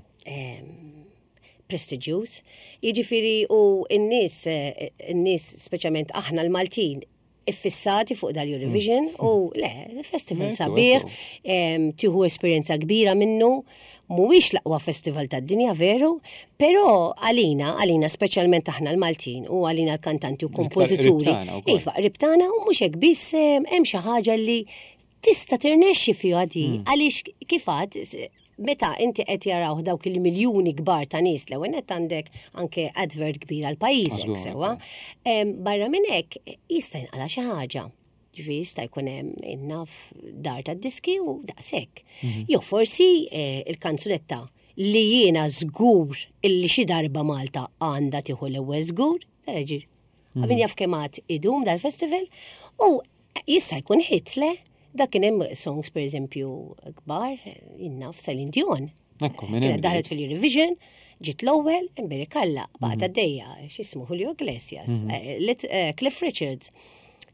Prestiġjuż. Jiġifieri u n-nies eh, n-nies speċjalment aħna l-Maltin iffissati fuq dal-Eurovision mm. u le, festival sabiħ, tieħu esperjenza kbira minnu, mhuwiex l-aqwa festival tad-dinja veru, però għalina, għalina speċjalment aħna l-Maltin u għalina l-kantanti u kompożituri. Iva, ribtana u mhux hekk biss hemm xi ħaġa li tista' tirnexxi fiha di mm. għaliex kif għad meta inti qed jaraw dawk il-miljuni kbar ta' nies l-ewwel qed għandek anke advert kbir għal pajjiżek sewwa. Barra minn hekk jista' jinqala xi ħaġa. Ġifieri jista' jkun hemm innaf dar tad-diski u daqshekk. Mhm. Jew forsi eh, il-kanzunetta li jiena żgur illi xi darba Malta għandha tieħu l-ewwel żgur, ġir. Mhm. Għabin jaf kemm għad idum dal-festival u Jista' jkun hit le, dak kien hemm songs pereżempju kbar, jinnaf Celine Dion. Ekku, minn hemm. Daħlet fil-Eurovision, ġiet l-ewwel, imberi kalla, baqgħet mhm. għaddejja, x'ismu Julio Iglesias, mhm. eh, eh, Cliff Richards,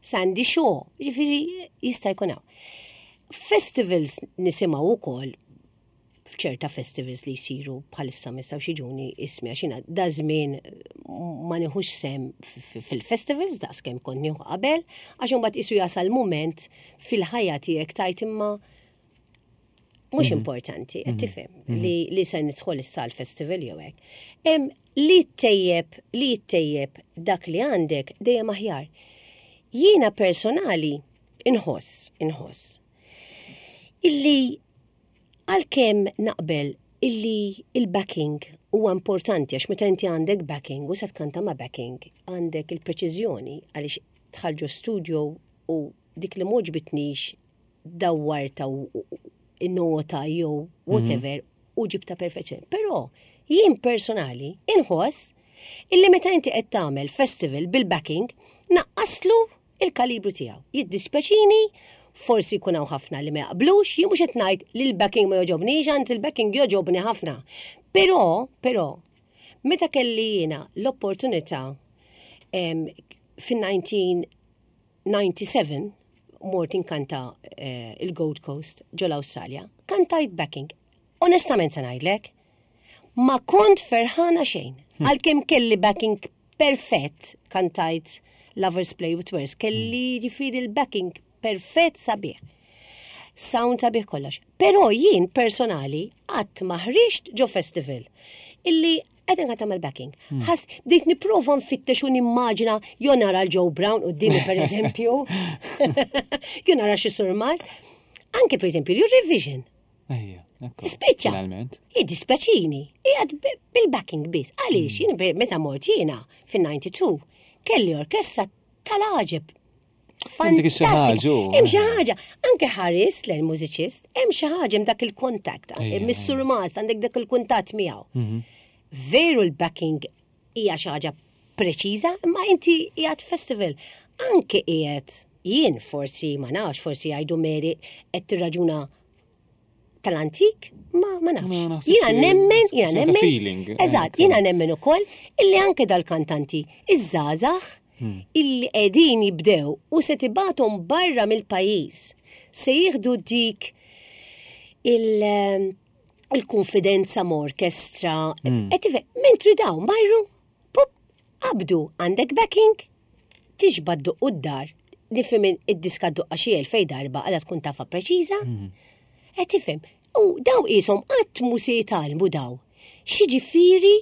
Sandy Shaw, ġifieri jista' jkun hawn. Festivals nisimgħu wkoll f'ċerta festivals li jsiru bħalissa ma jistgħux jiġuni ismi għax jiena da żmien ma nieħux sem fil-festivals daqskemm kont nieħu qabel għax imbagħad isu jasal mument fil-ħajja tiegħek tajt imma mhux mhm. importanti, qed mhm. tifhem mhm. li li se nidħol issa l-festival jew hekk. Hemm li tejjeb li ttejjeb dak li għandek dejjem aħjar. Jiena personali inħoss, inħoss illi Għalkemm naqbel illi il-backing huwa importanti għax meta inti għandek backing u se tkanta ma' backing għandek il-preċiżjoni għaliex tħal ġo studio u dik li m'għoġbitnix dawwarta u nota jew mhm. whatever u ġibta perfezzjoni. Però jien personali inħoss illi meta inti qed tagħmel festival bil-backing naqqaslu il-kalibru tiegħu. Jiddispjaċini, forsi jkun hawn ħafna li ma jaqblux, jien mhux qed ngħid li l-backing ma jogħġobnix, anzi l-backing jogħġobni ħafna. Però, però, meta kelli jiena l-opportunità fin-1997 mort inkanta eh, il-Gold Coast ġol Awstralja, kantajt backing. Onestament se ngħidlek, ma kont ferħana xejn. Hmm. Għalkemm kelli backing perfett, kantajt Lovers Play with Words, kelli hmm. ġifieri l-backing perfett sabiħ. Sound sabiħ kollox. Però jien personali qatt ma ħriġt ġo festival illi qed inqata' mal-backing. Hmm. Ħas bdejt nipprova nfittex u nimmaġina jo nara l-Joe Brown qudiemi pereżempju. Jo nara xi surmas. Anke pereżempju l-Eurovision. Ejja, Spiċċa. Finalment. Jiddispjaċini, qiegħed bil-backing biss. Għaliex mm. jien meta mort jiena fin-92 kelli orkestra tal-għaġeb. Fantastika. Hemm xi ħaġa, anke ħares lejn mużiċist, hemm xi ħaġa hemm dak il-kontakt, mis-sur Mas għandek dak il-kuntatt miegħu. Mhm. Veru l-backing hija xi ħaġa preċiża, imma inti qiegħed festival. Anke qiegħed jien forsi ma nafx, forsi jgħidu Mary qed tirraġuna tal-antik, ma ma nafx. Jiena nemmen, jiena nemmen. Eh, eżatt, jiena nemmen ukoll illi anke dal-kantanti iż-żgħażagħ hmm. illi qegħdin jibdew u se tibathom barra mill-pajjiż se jieħdu dik il- eh, il-konfidenza ma' orkestra. Hmm. Mentri dawn marru, pop, qabdu għandek backing, tixba dduq d-dar, nifhem id-diska duqqa xi elfej darba għala tkun tafa preċiża. Hmm. Qed tifhem. U daw qishom qatt mhu se jitgħallmu daw. Xi ġifieri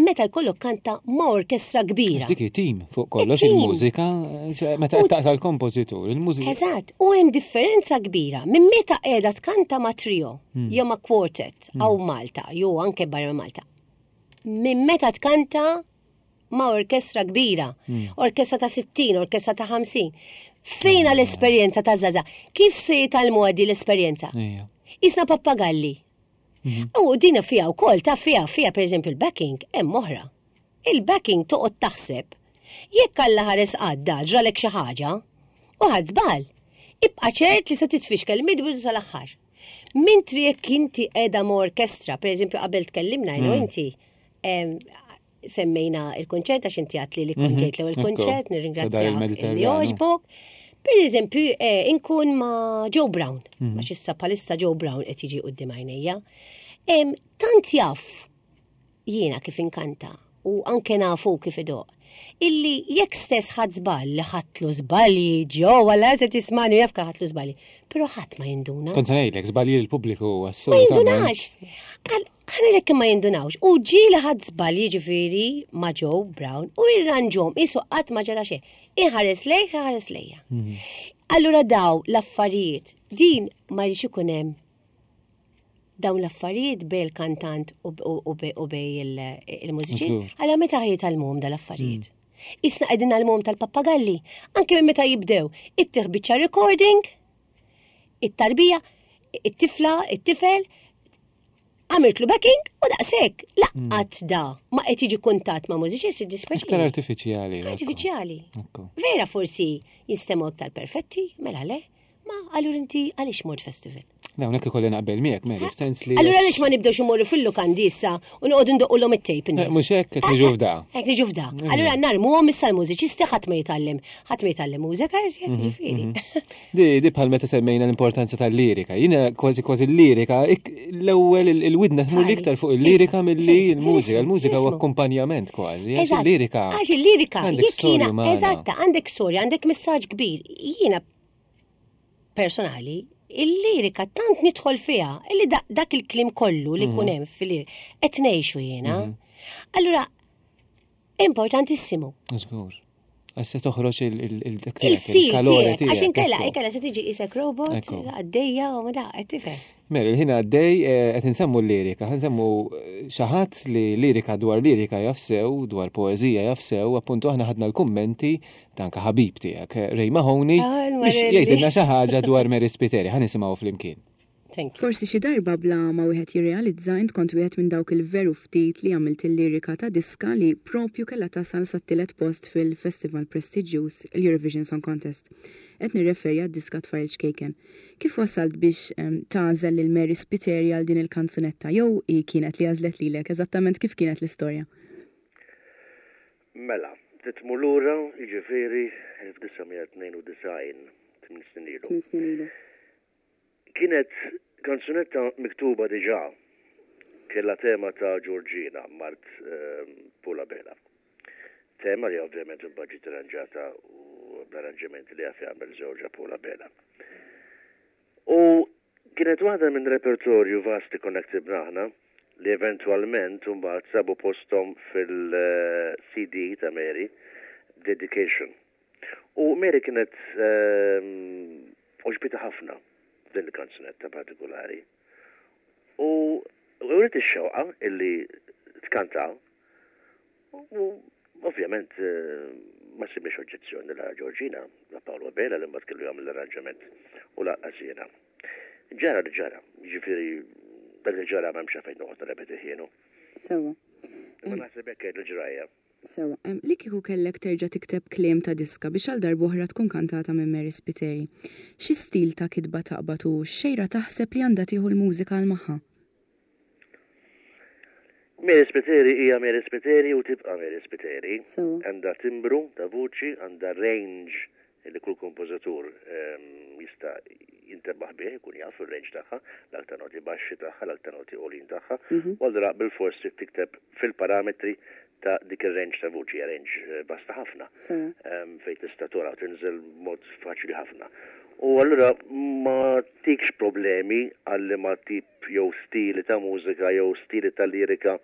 meta jkollok kanta ma' orkestra kbira. Dik tim fuq kollox il-mużika, meta qed taqta' l-kompożitur, il-mużika. Eżatt, u hemm differenza kbira minn meta qiegħda tkanta ma' trio hmm. jew ma' quartet hawn hmm. Malta jew anke barra Malta. Minn meta tkanta ma' orkestra kbira, hmm. orkestra ta' 60, orkestra ta' 50. Fejna l-esperjenza ta' Zaza? Kif se jitalmu għaddi l-esperjenza? Isna pappagalli. Mhm. U dina fija u kol, ta' fija, fija per eżempju il-backing, hemm oħra. Il-backing toqgħod taħseb. Jekk Alla ħares għadda ġralek xi ħaġa, u ħadd żball, ibqa' ċert li se titfixkel mid-bidu sal-aħħar. Mintri jekk inti qiegħda ma' orkestra, per eżempju qabel tkellimna jenu mm. inti, semmejna il-konċert għax inti għatli li kont mhm. ġejt l-ewwel konċert, nirringrazzjak li għoġbok. Per eżempju, eh, inkun ma' Joe Brown, mhm. għax issa palissa Joe Brown qed jiġi qudiem għajnejja. Tant jaf jiena kif inkanta u anke nafu kif idoq. Illi jekk stess ħadd żball li ħadtlu żbalji ġew għal se tismani jaf ħadtlu żbalji, però ħadd ma jinduna. Kont ngħidlek żbalji l-pubbliku assolutament. Ma jindunax. Ħa ngħidlek kemm ma jindunawx. U ġieli ħadd żball jiġifieri ma' Joe Brown u jirranġhom qisu qatt ma ġara xejn. Inħares lejh, iħares lejja. Mhm. Allura daw l-affarijiet, din ma jridx ikun hemm dawn l-affarijiet bej il-kantant u bej il-mużiċist, għala meta jitgħallmuhom dal-affarijiet. Mm. Isna qegħdin għalmuhom tal-pappagalli, anke minn meta jibdew, ittieħ biċċa recording, it-tarbija, it-tifla, it-tifel, għamiltlu backing u daqshekk. Laqqat hmm. da ma qed jiġi kuntatt ma' mużiċisti dispeċi. Iktar artifiċjali. Artifiċjali. Vera forsi jinstemaw iktar perfetti, mela le, ma allura inti għaliex mort festival? Le, hawnhekk ikolli naqbel miegħek, Mary, f'sens li. Allura għaliex ma nibdewx imorru fil-lukandi issa u noqogħdu ndoqqulhom it-tape eh, Mhux hekk qed niġu f'da. Hekk niġu f'da. Allura narmuhom issa l-mużiċisti ħadd ma jitgħallem, ħadd ma jitgħallem mużika, mhm, ġifieri. Mhm. Di, di bħal meta semmejna l-importanza tal-lirika. Jiena kważi kważi l-lirika, l-ewwel il-widna tmur l-iktar fuq il-lirika milli l-mużika. Il-mużika huwa akkumpanjament kważi. Għax il-lirika. Għax il-lirika, jekk jiena, eżatta, għandek storja, għandek messaġġ kbir. Jiena personali, il-lirika tant nidħol fiha illi dak il-klim kollu li kun mhm. hemm fil-lirika qed ngħixu jiena. Mhm. Allura importantissimu. Żgur. Għax se toħroġ il-kalori tiegħek. Għax inkella, inkella se tiġi isek robot, għaddejja u ma da, qed tifhem. Mela, il-ħin għaddej eh, qed insemmu l-lirika, nsemmu eh, xi ħadd li lirika dwar lirika jaf sew, dwar poeżija jaf sew, appuntu aħna ħadna l-kummenti ta' anka ħabib tiegħek, eh, Ray Mahoney, ah, biex jgħidilna xi ħaġa dwar Mary Spiteri, ħa nisimgħu flimkien. Forsi xi darba bla ma wieħed jirrealizza int kont wieħed minn dawk il-veru ftit li għamilt il-lirika ta' diska li propju kellha tasal sat-tielet post fil-festival prestiġjuż l-Eurovision Song Contest. Qed nirreferi għad-diska Tfajl Ċkejken. Kif wasalt biex tagħżel lil Mary Spiteri għal din il-kanzunetta jew hi kienet li għażlet lilek? Eżattament kif kienet l-istorja? Mela, trid tmur lura, jiġifieri 1992, tminn snin ilu. Tminn snin ilu. Kienet kanzunetta miktuba diġà, kellha tema ta' Georgina, mart Paul Abela. Tema li ovvjament imbagħad ġiet irranġata u bl-arranġamenti li jaf jagħmel żewġha Paul Abela. U kienet waħda minn repertorju vast li konna ktibna aħna li eventwalment imbagħad sabu posthom fil-CD ta' Mary, Dedication. U Mary kienet għoġbitha ħafna din il-kanzunetta partikolari. U uriet ix-xewqa illi tkanta u ovvjament ma sibniex oġġezzjoni la Georgina, la Paolo Abela li mbagħad kellu jagħmel l-arranġament u lanqas jiena. Ġara li ġara, jiġifieri dak li ġara m'hemmx għalfejn noqgħod nirrepetih jienu. Sewwa. Imma naħseb hekk kienet il-ġrajja. Sewwa. Li kieku kellek terġa' tikteb kliem ta' diska biex għal darb'oħra tkun kantata minn Mary Spiteri, xi stil ta' kitba taqbad u x'xejra taħseb li għandha tieħu l-mużika għal magħha? Mary Spiteri hija Mary Spiteri u tibqa' Mary Spiteri. Sewwa. Għandha timbru ta' vuċi, għandha range li kull kompożitur jista' jintebaħ bih, ikun jaf ir-range tagħha, l-aktar noti baxxi tagħha, l-aktar noti għoljin tagħha, u allura bilfors trid tikteb fil-parametri ta' dik ir-range ta' vuċi, hija range vasta ħafna fejn tista' togħla u tinżel b'mod faċli ħafna. U allura ma tikx problemi għal liema tip jew stili ta' mużika jew stili ta' lirika.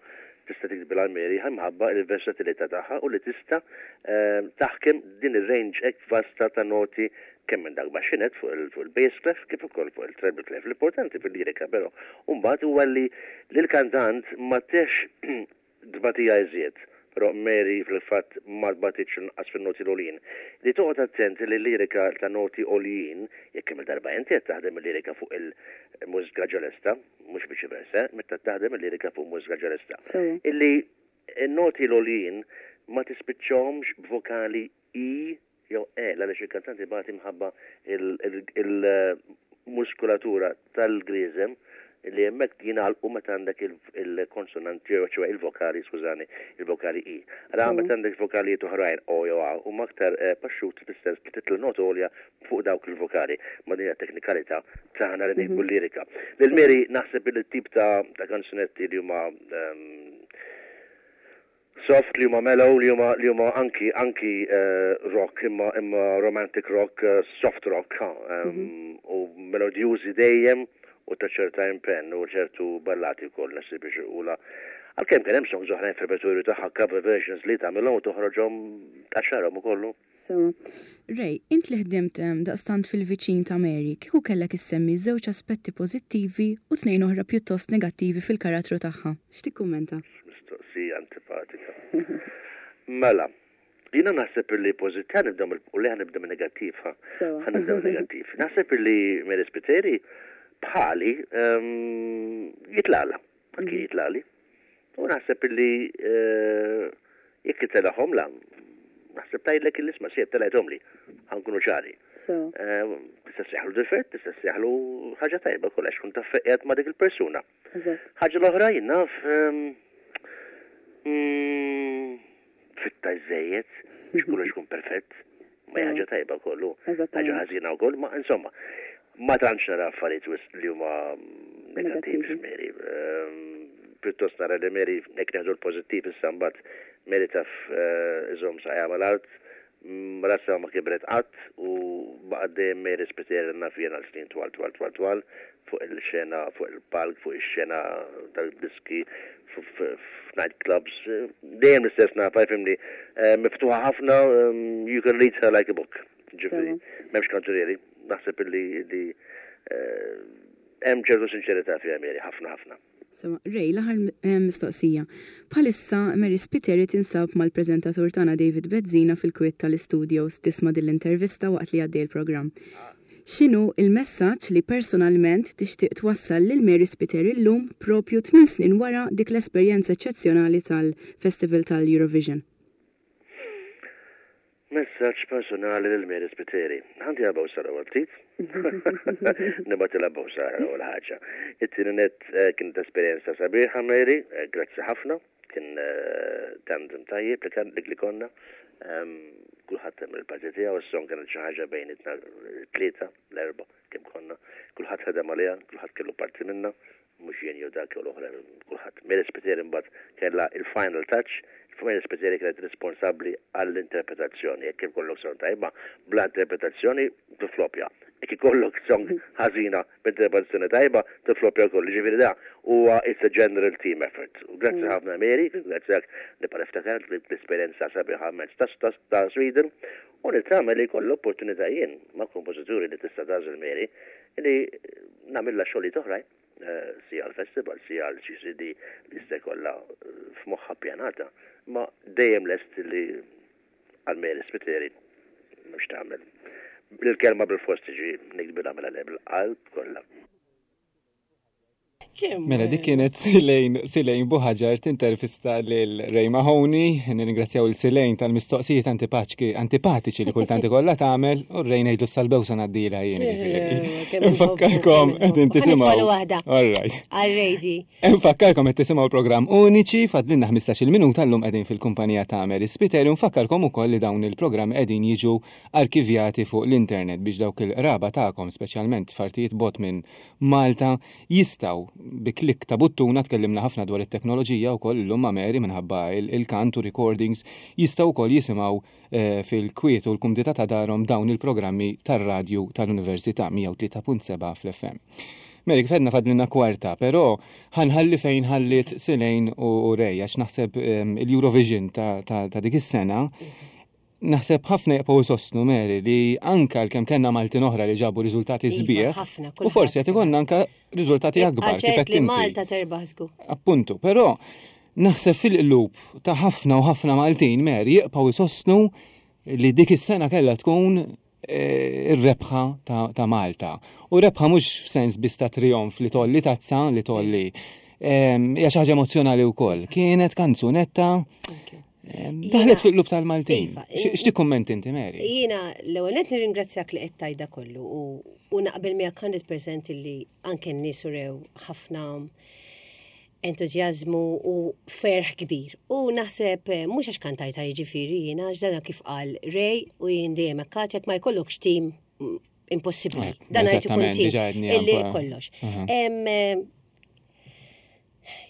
tista' tiktbilha Mary minħabba l-versatilità tagħha u li tista' ehm, taħkem din ir-range hekk vasta ta' noti kemm minn dak baxxinet fuq il-bass clef kif ukoll fuq il-treble clef. L-importanti fil-lirika però mbagħad huwa li lill-kantant ma tex tbatija iżjed, però Mary fil-fatt ma tbatitx lanqas fin-noti l-għoljin. Li toqgħod attent li l-lirika ta' noti għoljin, jekk kemm-il darba inti qed taħdem il-lirika fuq il-mużika ġelesta, mhux viċi versa, meta taħdem il-lirika fuq mużika ġelesta. Illi n-noti l-għoljin ma tispiċċahomx b'vokali I jew E, għaliex il-kantant ibati minħabba il-muskulatura tal-grieżem li hemmhekk jingħalqu meta għandek il-konsonanti, ċoè il-vokali, skużani, il-vokali I. Ara meta għandek vokalijiet oħrajn O jew A huma aktar eh, paxxuti fis-sens li titla' nota għolja fuq dawk il-vokali. Ma din hija teknikalità tagħna li nikbu mhm. lirika. Lil Mary naħseb li tip ta' kanzunetti li huma ehm, Soft li huma mellow li huma li huma anki anki rock imma imma romantic rock, soft rock ha, u melodjużi dejjem u ta' ċerta impenn u ċertu ballati wkoll naħseb biex irqulha. Għalkemm kien hemm songs oħrajn fir-repertorju tagħha cover versions li tagħmilhom u toħroġhom tqaxxarhom ukoll. Sewwa. Ray, int li ħdimt daqstant fil-viċin ta' Mary, kieku kellek issemmi żewġ aspetti pożittivi u tnejn oħra pjuttost negattivi fil-karattru tagħha, x'tikkummenta? X'mistoqsija antipatika. Mela, jiena naħseb illi pożitt, ħa nibda mill, u le ħa nibda min-negattiv, ħa. Sewwa. Ħa nibda min-negattiv. Naħseb illi Mary Spiteri bħali jitlagħla. Anki jitlali. U naħseb illi eh, jekk itelahom la, naħseb tgħidlek illi isma' sieb telgħethom li, ħankunu ċari. Eh, tista' seħlu difett, tista' seħlu ħaġa tajba kollha xkun taf qiegħed ma' dik il-persuna. Ħaġa l-oħra jien naf ehm, mm, fitta żejjed, biex kollox ikun perfett. Ma hija ħaġa tajba kollu, ħaġa ħażina wkoll, ma insomma, ma tantx nara affarijiet wisq li huma negattivi f'Mary. Ehm, pjuttost nara li Mary hekk neħdu l-pożittiv issa mbagħad Mary taf eh, iżomm saqajha mal-art, mm, rasha ma kibret qatt u baqgħet dejjem Mary Spiteri naf jien għal snin twal twal twal twal fuq il-xena, fuq il-palk, fuq ix-xena tal-diski, f'night clubs, dejjem l-istess nafa, jfimni, eh, miftuħa ħafna, ehm, you can read her like a book. Ġifieri, m'hemmx kantunieri, naħseb illi li eh, hemm ċertu sinċerità fiha Mary, ħafna ħafna. Sewa, Ray, l-aħħar eh, mistoqsija. Bħalissa Mary Spiteri tinsab mal-preżentatur tagħna David Bezzina fil-kwiet tal-istudios tisma' din l-intervista waqt li għaddej il-programm. X'inhu l-messaġġ li personalment tixtieq twassal lil Mary Spiteri llum propju tminn snin wara dik l-esperjenza eċċezzjonali tal-Festival tal-Eurovision? Messaġġ personali lil Mary Spiteri. Ħa ntiha bewsa l-ewwel ftit. Nibgħatilha bewsa l-ewwel ħaġa. It-tieni nett eh, kienet esperjenza sabiħa Mary, eh, grazzi ħafna. Kien eh, tandem tajjeb li kan li konna. Ehm, kulħadd hemm il-parti tiegħu, is-song kienet xi ħaġa bejn it-tlieta, l-erba' kemm konna. Kulħadd ħadem għaliha, kulħadd kellu parti minnha. Mhux jien jew dak jew l-oħra, kulħadd. Mary Spiteri mbagħad kellha il-final touch, Mary Spiteri kienet responsabbli għall-interpretazzjoni. Jekk ikollok song tajba, bla interpretazzjoni tiflopja. Jekk ikollok song ħażina b'interpretazzjoni tajba, tiflopja wkoll. Jiġifieri da huwa it's a general team effort. U grazzi mm. ħafna Mary, ringrazzjak nibqa' niftakar l-esperjenza sabiħa mezz ta' Sweden u nittama li jkollu opportunità jien ma' kompożituri li tista' tagħżel Mary li nagħmilha xogħlijiet oħrajn eh, sija għal-festival, sija għal xi CD li jista' jkollha eh, f'moħħa ppjanata, ma dejjem lest li għal Mary Spiteri mhux tagħmel. Il-kelma bil-fost tiġi nikbilha mela le bil-qalb kollha. Mela dik kienet Silejn Silejn Buħaġar tintervista lil Ray Mahoney, nirringrazzjaw il Silejn tal-mistoqsijiet antipaċki antipatiċi li kultant ikollha tagħmel u Ray ngħidlu sal-bewsa ngħaddilha jien ġifieri. Infakkarkom qegħdin tisimgħu. All right. Għal-rejdi. Infakkarkom qed tisimgħu l-programm Uniċi fadlilna 15-il minuta llum qegħdin fil-kumpanija ta' Mary Spiteri u nfakkarkom ukoll li dawn il-programmi qegħdin jiġu arkivjati fuq l-internet biex dawk il-qraba tagħkom speċjalment f'artijiet bot minn Malta jistgħu bi klikk ta' buttuna, tkellimna ħafna dwar it-teknoloġija wkoll illum ma' Mary minħabba il-kant u recordings, jistgħu wkoll jisimgħu eh, fil-kwiet u l-kumdità ta' darhom dawn il-programmi tar-radju tal-Università 103.7 fl-FM. Mary, kif għedna fadlilna kwarta, però ħanħalli fejn ħalliet Silejn u Ray, għax naħseb ehm, il-Eurovision ta' dik is-sena, naħseb ħafna jibqgħu jsostnu Mary li anka l-kemm kellna Maltin oħra li ġabu riżultati Iva, sbieħ, ħafna, u forsi qed ikollna anka riżultati akbar kif qed li inti. Malta terbaħ żgur. Appuntu, però naħseb fil-qlub ta' ħafna u ħafna Maltin Mary jibqgħu jsostnu li dik is-sena kellha tkun eh, ir-rebħa ta', ta Malta. U rebħa mhux f'sens biss ta' trionf li tolli tazza li tolli. Ehm, Hija xi ħaġa emozzjonali wkoll. Kienet kanzunetta ehm, daħlet fil-qlub tal-Maltin. Iva, X'tikkummenti inti Mary? Jiena l-ewwel qed nirringrazzjak li qed tajda kollu u, u naqbel miegħek 100% li anke n-nies urew ħafna entużjażmu u ferħ kbir. U naħseb eh, mhux għax kantajta jiġifieri jiena għax dana kif qal Ray u jien dejjem hekk għad, jekk ma jkollokx tim mm, impossibbli. Eh, Dan għajt ikun eżattament, tim diġà għedniha illi anke. kollox. Aha. Em, eh,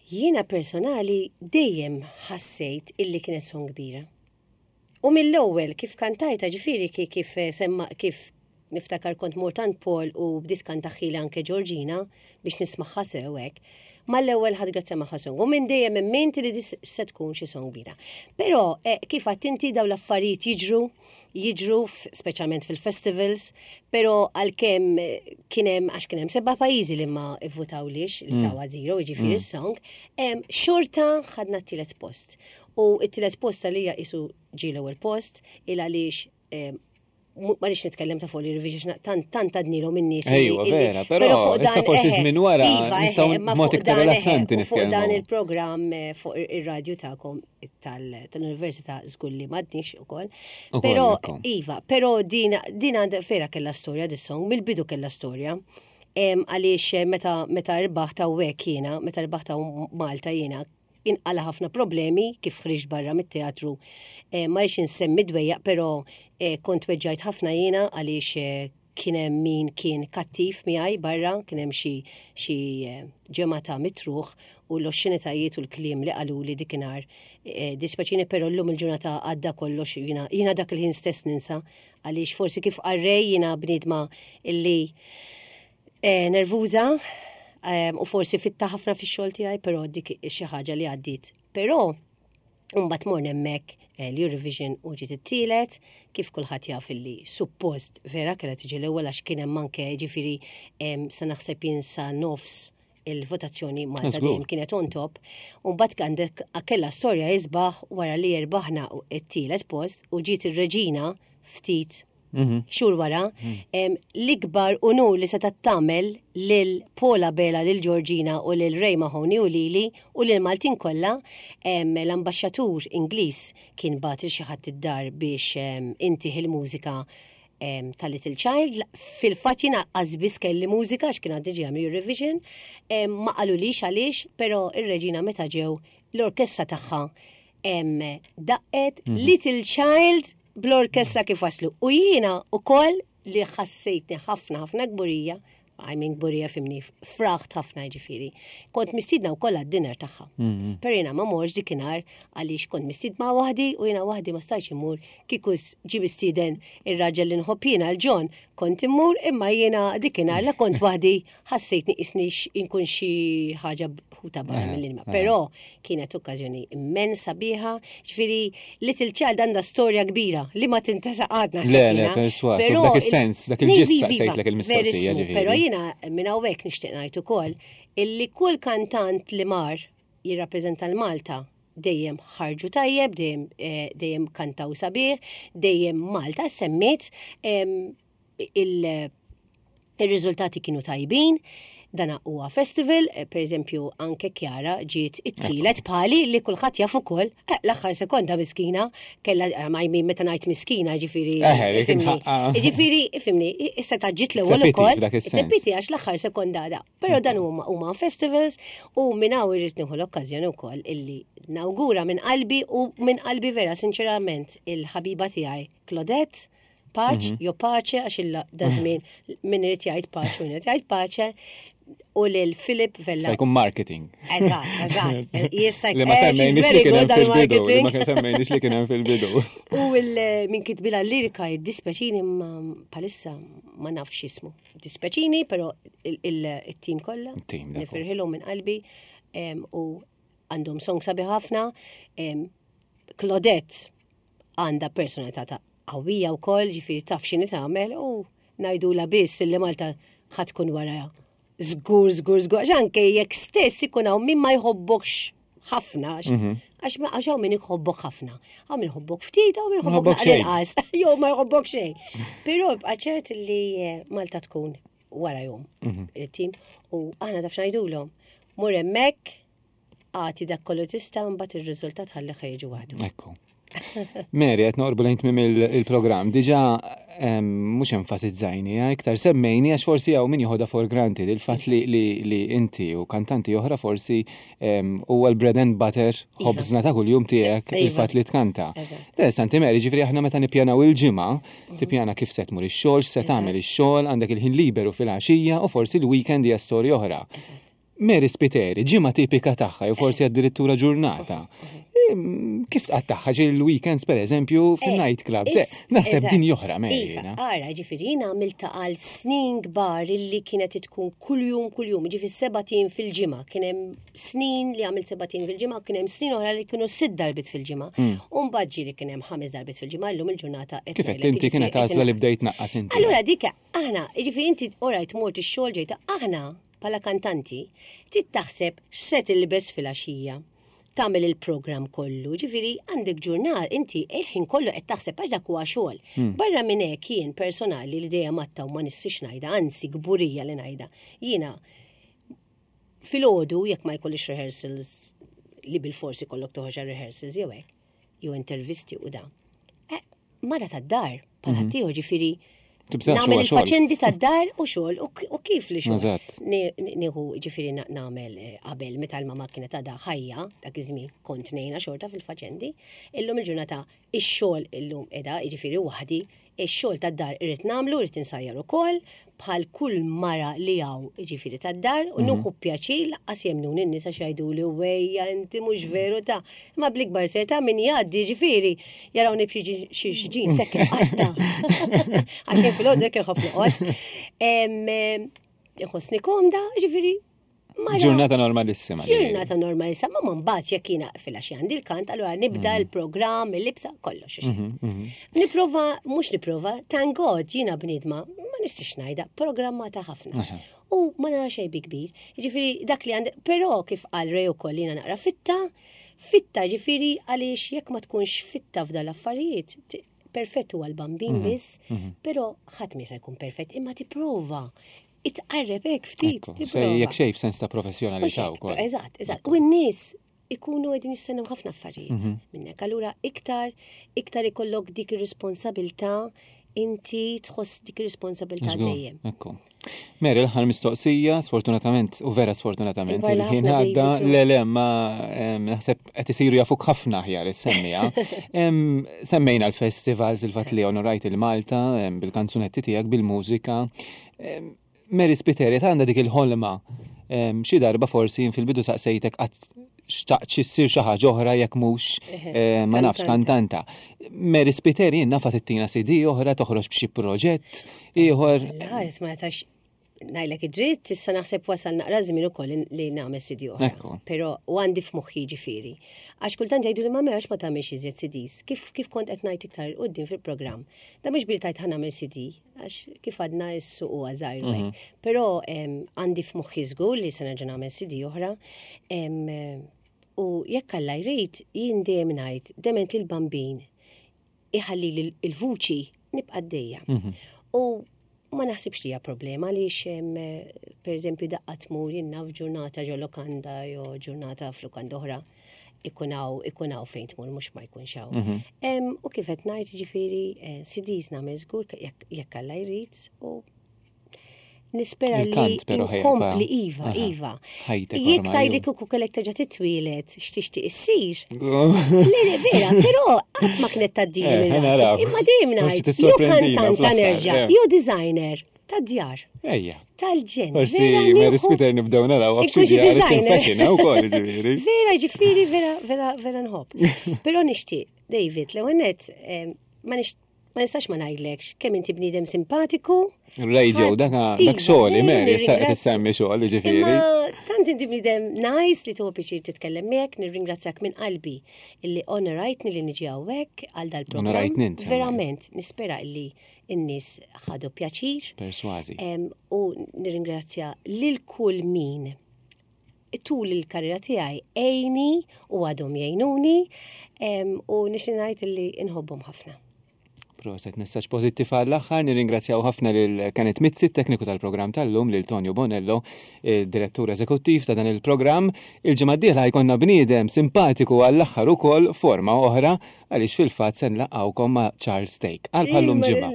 Jiena personali dejjem ħassejt illi kienet son kbira. U mill-ewwel kif kantajta ġifieri ki- kif eh, semma kif niftakar kont mort għand Paul u bdiet kantaħħila anke Georgina biex nismagħha sew hekk. Mal-ewwel ħadd grazzja magħha song. U minn dejjem emmint li dis se tkun xi song kbira. Però eh, kif għadt inti dawn l-affarijiet jiġru jiġru f- speċjalment fil-festivals, però għalkemm eh, kien hemm għax kien hemm seba' pajjiżi li ma ivvutawlix li tawa zero, jiġifieri s-song, em, xorta ħadna t-tielet post. U t-tielet post għalija isu ġie l-ewwel post il għaliex em, mu- ma rridx nitkellem ta' fuq l-Eurovision għax tant tant għadnilhom in-nies. illi- Ejwa, illi- vera, però fuq issa dan, forsi eħe, żmien wara iva, eħe, nistgħu imma b'mod fuq iktar dan, eħe, rilassanti u Fuq dan nitkellmu. il-programm eh, fuq ir-radju tagħkom tal- tal-Università żgur li m'għadniex ukoll. Ukoll, Però ekku. iva, però din din għandha vera kellha storja dis-song, mill-bidu kellha storja. Em, Għaliex eh, meta meta rbaħt hawnhekk jiena, meta rbaħt hawn Malta jiena, inqala ħafna problemi kif ħriġt barra mit-teatru. Eh, Ma rridx insemmi dwejjaq, però eh, kont weġġajt ħafna jiena għaliex eh, kien hemm min kien kattiv miegħi barra, kien hemm xi xi eh, ġemgħa ta' mitruħ u l-oxxenitajiet u l-kliem li qalu li dikinhar. Eh, Dispaċini però llum il-ġurnata għadda kollox jiena jiena dak il-ħin stess ninsa għaliex forsi kif qarrej jiena bniedma illi eh, nervuża eh, u forsi fitta ħafna fix-xogħol tiegħi, però dik xi ħaġa li għaddiet. Però Mbagħad morna hemmhekk eh, l-Eurovision u ġiet it-tielet, kif kulħadd jaf illi suppost vera kellha tiġi l-ewwel għax kien hemm anke ġifieri em, sa naħseb jien sa nofs il-votazzjoni Malta Żgur. dejjem kienet on top. U mbagħad għandek kellha storja isbaħ wara li erbaħna t-tielet post u ġiet ir-reġina ftit xhur wara, em, l-ikbar unur li seta' tagħmel lil Paula Bela, lil Georgina u lil Ray Mahoney u lili u lil Maltin kollha, em, l-ambaxxatur Ingliż kien bagħat lil xi ħadd id-dar biex em, intih il-mużika em, ta' Little Child. Fil-fatt jiena qas biss kelli mużika għax kien għaddi ġej Eurovision, em, ma qalulix għaliex, però ir-reġina meta ġew l-orkestra tagħha em, daqqet Little Child bl-orkestra kif waslu. U jiena ukoll li ħassejtni ħafna ħafna kburija, I mean kburija fimni, fraħt ħafna ġifieri. Kont mistiedna wkoll għad-dinner tagħha. Però jiena ma morx dikinhar għaliex kont mistiedna waħdi u jiena waħdi ma stajtx immur kieku ġie mistieden ir-raġel li nħobb jiena l-John kont immur imma jiena dikinhar la kont waħdi ħassejtni qisni inkun xi ħaġa ħuta barra mill-ilma. Però kienet okkażjoni immensa sabiħa, ġifieri Little Child għandha storja kbira li ma tintesa għadna. Le, le, perswas, u f'dak is-sens, dak il-ġist saqsejtlek il-mistoqsija, ġifieri. Però jiena minn hawnhekk nixtieq ngħid ukoll illi kull kantant li mar jirrappreżenta l-Malta dejjem ħarġu tajjeb, dejjem eh, dejjem kantaw sabiħ, dejjem Malta semmiet em, il- il-riżultati kienu tajbin, dana huwa festival, eh, per eżempju anke Kjara ġiet it-tielet bħali li kulħadd jaf ukoll, eh, l-aħħar sekonda miskina, kellha eh, ma jmin meta ngħid miskina ġifieri. Eħe, li kien ifhimni. ħaqqa. Ġifieri, ifhimni, issa ta' ġiet l-ewwel It's a pity ukoll. f'dak It's a is-sens. pity għax l-aħħar sekonda da. Però dan huma huma festivals u minn hawn irrid nieħu l-okkażjoni wkoll illi nawgura minn qalbi u minn qalbi vera sinċerament il-ħabiba tiegħi Claudette Paċ, jo paċe, għax illa da żmien min irid jgħid paċ u min irid jgħid paċe. U lil Philip Vella. Se jkun marketing. Eżatt, eżatt. Jista' Li ma eh, semmejniex li kien hemm fil-bidu, li ma semmejniex li kien hemm fil-bidu. U min kitbilha l-lirika jiddispeċini ma palissa ma nafx ismu. Dispeċini, però il-tim kollha. Nifirħilhom minn qalbi u għandhom song sabi ħafna. Claudette għandha personalità ta' qawwija wkoll, ġifieri taf x'inhi tagħmel u ngħidula biss li Malta ħa tkun wara żgur, żgur, żgur, għax anke jekk stess ikun hawn min ma jħobbokx ħafna, mhm. għax għax hawn min jħobbok ħafna, hawn min jħobbok ftit, hawn min jħobbok inqas, jew ma jħobbok xejn. Però ibqa' ċert li eh, Malta tkun wara jum mhm. il-tim u aħna taf ngħidulhom mur hemmhekk Agħti dak kollu tista' mbagħad ir-riżultat ħalli ħejġu waħdu. Ekku. Mary, qed noqorbu lejn tmiem il-programm. Diġà mhux enfasizzajni, eh, iktar semmejni għax forsi hawn min joħodha for granted il-fatt li, li, li inti u kantanti oħra forsi huwa l-bread and butter iva. ħobżna ta' kuljum tiegħek iva. il-fatt li tkanta. Interessanti Mary, ġifieri aħna meta nippjanaw il-ġimgħa, mhm. tippjana kif se tmur ix-xogħol, se tagħmel ix-xogħol, għandek il-ħin liberu fil-għaxija u forsi l-weekend hija storja oħra. Mary Spiteri, ġimgħa tipika tagħha jew forsi addirittura ġurnata. Kif tqattagħha ġi l-weekends per eżempju eh, fin-night clubs? Eh, naħseb din joħra Mary. Iva, ara, ġifieri jiena għamilta għal snin kbar illi kienet tkun kuljum kuljum, ġifieri sebatin fil-ġimgħa, kien hemm snin li għamilt sebatin fil-ġimgħa, kien hemm snin oħra li kienu sitt darbit fil-ġimgħa. Hmm. U mbagħad ġieli kien hemm ħames darbit fil-ġimgħa, illum il-ġurnata qed Kif qed inti kienet għażla li bdejt naqqas inti. Allura dik aħna, jiġifieri inti orajt mort ix-xogħol ġejta aħna Bħala kantanti, trid taħseb x'se tilbes filgħaxija, tagħmel il-programm kollu, ġifieri għandek ġurnal inti il-ħin kollu qed taħseb għax dak huwa xogħol. Hmm. Barra minn hekk jien personali li dejjem għatta u ma nistix ngħidha, anzi kburija li ngħidha. Jiena filgħodu jekk ma jkollix rehearsals li bil-forsi kollok toħroġ rehearsals jew hekk, jew intervisti u da. Eh, mara tad-dar, bħal mhm. ħaddieħor ġifieri Nagħmel il-faċendi tad-dar u xogħol u kif li xogħol. Nieħu ġifieri nagħmel eh, qabel meta l-mama kienet għadha ħajja dak iż-żmien kont ngħinha xorta fil-faċendi. Illum il-ġurnata ix-xogħol illum qiegħda jiġifieri waħdi Ix-xogħol tad-dar irrid nagħmlu, irrid insajjar ukoll, bħal kull mara li hawn jiġifieri tad-dar, u mhm. nieħu pjaċir laqqas jemnuni n-nies għax jgħiduli wejja inti mhux veru ta' imma bl-ikbar serjetà min jgħaddi jiġifieri jarawni b'xi xi ġin sekk qatta. Għax jien fil-għodu hekk inħobb noqgħod. Inħossni komda, jiġifieri Ġurnata normalissima. Ġurnata normalissima, ma mbagħad jekk jiena filgħaxija għandi l-kant, allura nibda mm. l-programm, il-libsa, kollox. Mhm, mhm. Niprova, mhux niprova, thank God jiena bniedma, ma nistix ngħidha, programmata ħafna. U ma nara xejn bi kbir. Ġifieri dak li għandi, però kif qal Rej ukoll jiena naqra fitta, fitta ġifieri għaliex jekk ma tkunx fitta f'dal affarijiet, perfett huwa l-bambin mhm, biss, però ħadd ma se jkun perfett, imma tipprova itqarreb hekk ftit. Jekk xejn f'sens ta' professjonalità wkoll. Eżatt, eżatt. U n-nies ikunu qegħdin jistennew ħafna affarijiet mhm. minnek. Allura iktar iktar ikollok dik ir-responsabilità inti tħoss dik ir-responsabilità dejjem. Ekku. Mary, l-aħħar mistoqsija, sfortunatament, u vera sfortunatament, il-ħin għadda, le le, ma naħseb qed isiru jafuk ħafna aħjar is-semmija. Semmejna l-festivals, il-fatt li onorajt il-Malta bil-kanzunetti tiegħek, bil-mużika. Mary Spiteri għandha dik il-ħolma xi darba forsi fil-bidu saqsejtek qatt xtaqt xi ssir xi ħaġa oħra jekk mhux eh, ma nafx kantanta. Mary Spiteri jien nafa tittina CD oħra toħroġ b'xi proġett ieħor. Ħares ma tax ngħidlek id-dritt, issa naħseb wasal naqra żmien ukoll li nagħmel CD oħra. Però u għandi f'moħħi ġifieri. Għax kultant jgħidu li ma għax ma tagħmilx iżjed CDs. Kif kif kont qed ngħid iktar quddiem fil-programm. Da mhux bil tajt ħa nagħmel CD, għax kif għadna s-suq huwa żgħir mm -hmm. Però għandi f'moħħi żgur li se nerġa' nagħmel CD oħra. U jekk Alla jrid, jien dejjem ngħid, dement li l-bambin iħalli l-vuċi nibqa' dejja. Mhm. U ma naħsibx li hija problema għaliex per eżempju daqqa tmur jien naf ġurnata ġo lokanda jew ġurnata f'lukanda oħra ikun hawn ikun hawn fejn tmur mhux ma jkunx hawn. Mhm. U kif qed ngħid ġifieri eh, CDs nagħmel żgur jekk Alla jrid u nispera li nkompli iva, iva. Jekk tajli kieku kellek terġa' titwielet x'tixtieq issir. Le, le, vera, però qatt ma kienet tgħaddili eh, minn Imma dejjem ngħid, jew kantanta nerġa', eh. jew designer. Ta' djar. Ejja. Tal-ġen. Forsi Mary Spiter nibdew naraw għafxi djar fashion eh, ukoll ġifieri. Vera ġifieri vera vera vera nħobb. Però nixtieq, David, l-ewwel nett eh, ma nix ma nistax ma ngħidlekx kemm inti bniedem simpatiku. Radio, dak dak iva, xogħli, Mary, issa qed issemmi xogħol ġifieri. Tant inti bniedem nice li tuħu pjaċir titkellem miegħek, nirringrazzjak minn qalbi illi onorajtni li niġi hawnhekk għal dal-programm. Onorajtni int. Verament, nispera illi n-nies ħadu pjaċir. Persważi. U nirringrazzja lil kull min tul il-karriera tiegħi għejni u għadhom jgħinuni u nixtieq ngħid li inħobbhom ħafna. Proset, messaġġ pożittiv għall-aħħar, nirringrazzjaw ħafna lil Kenneth Mizzi, tekniku tal-programm tal-lum, lil Tonio Bonello, direttur eżekuttiv ta' dan il-programm. Il-ġimgħa d-dieħla jkollna bniedem simpatiku għall-aħħar ukoll forma oħra għaliex fil-fatt se nlaqgħukom ma' Charles Take. Għal bħallum ġimgħa.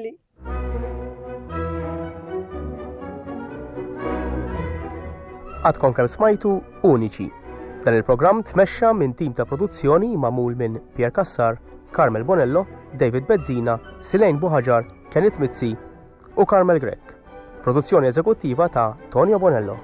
Għadkom kemm smajtu Uniċi. Dan il-programm tmexxa minn tim ta' produzzjoni magħmul minn Pierre Cassar, Carmel Bonello, David Bezzina, Silejn Buħaġar, Kenneth Mizzi u Carmel Grech. Produzzjoni eżekuttiva ta' Tonio Bonello.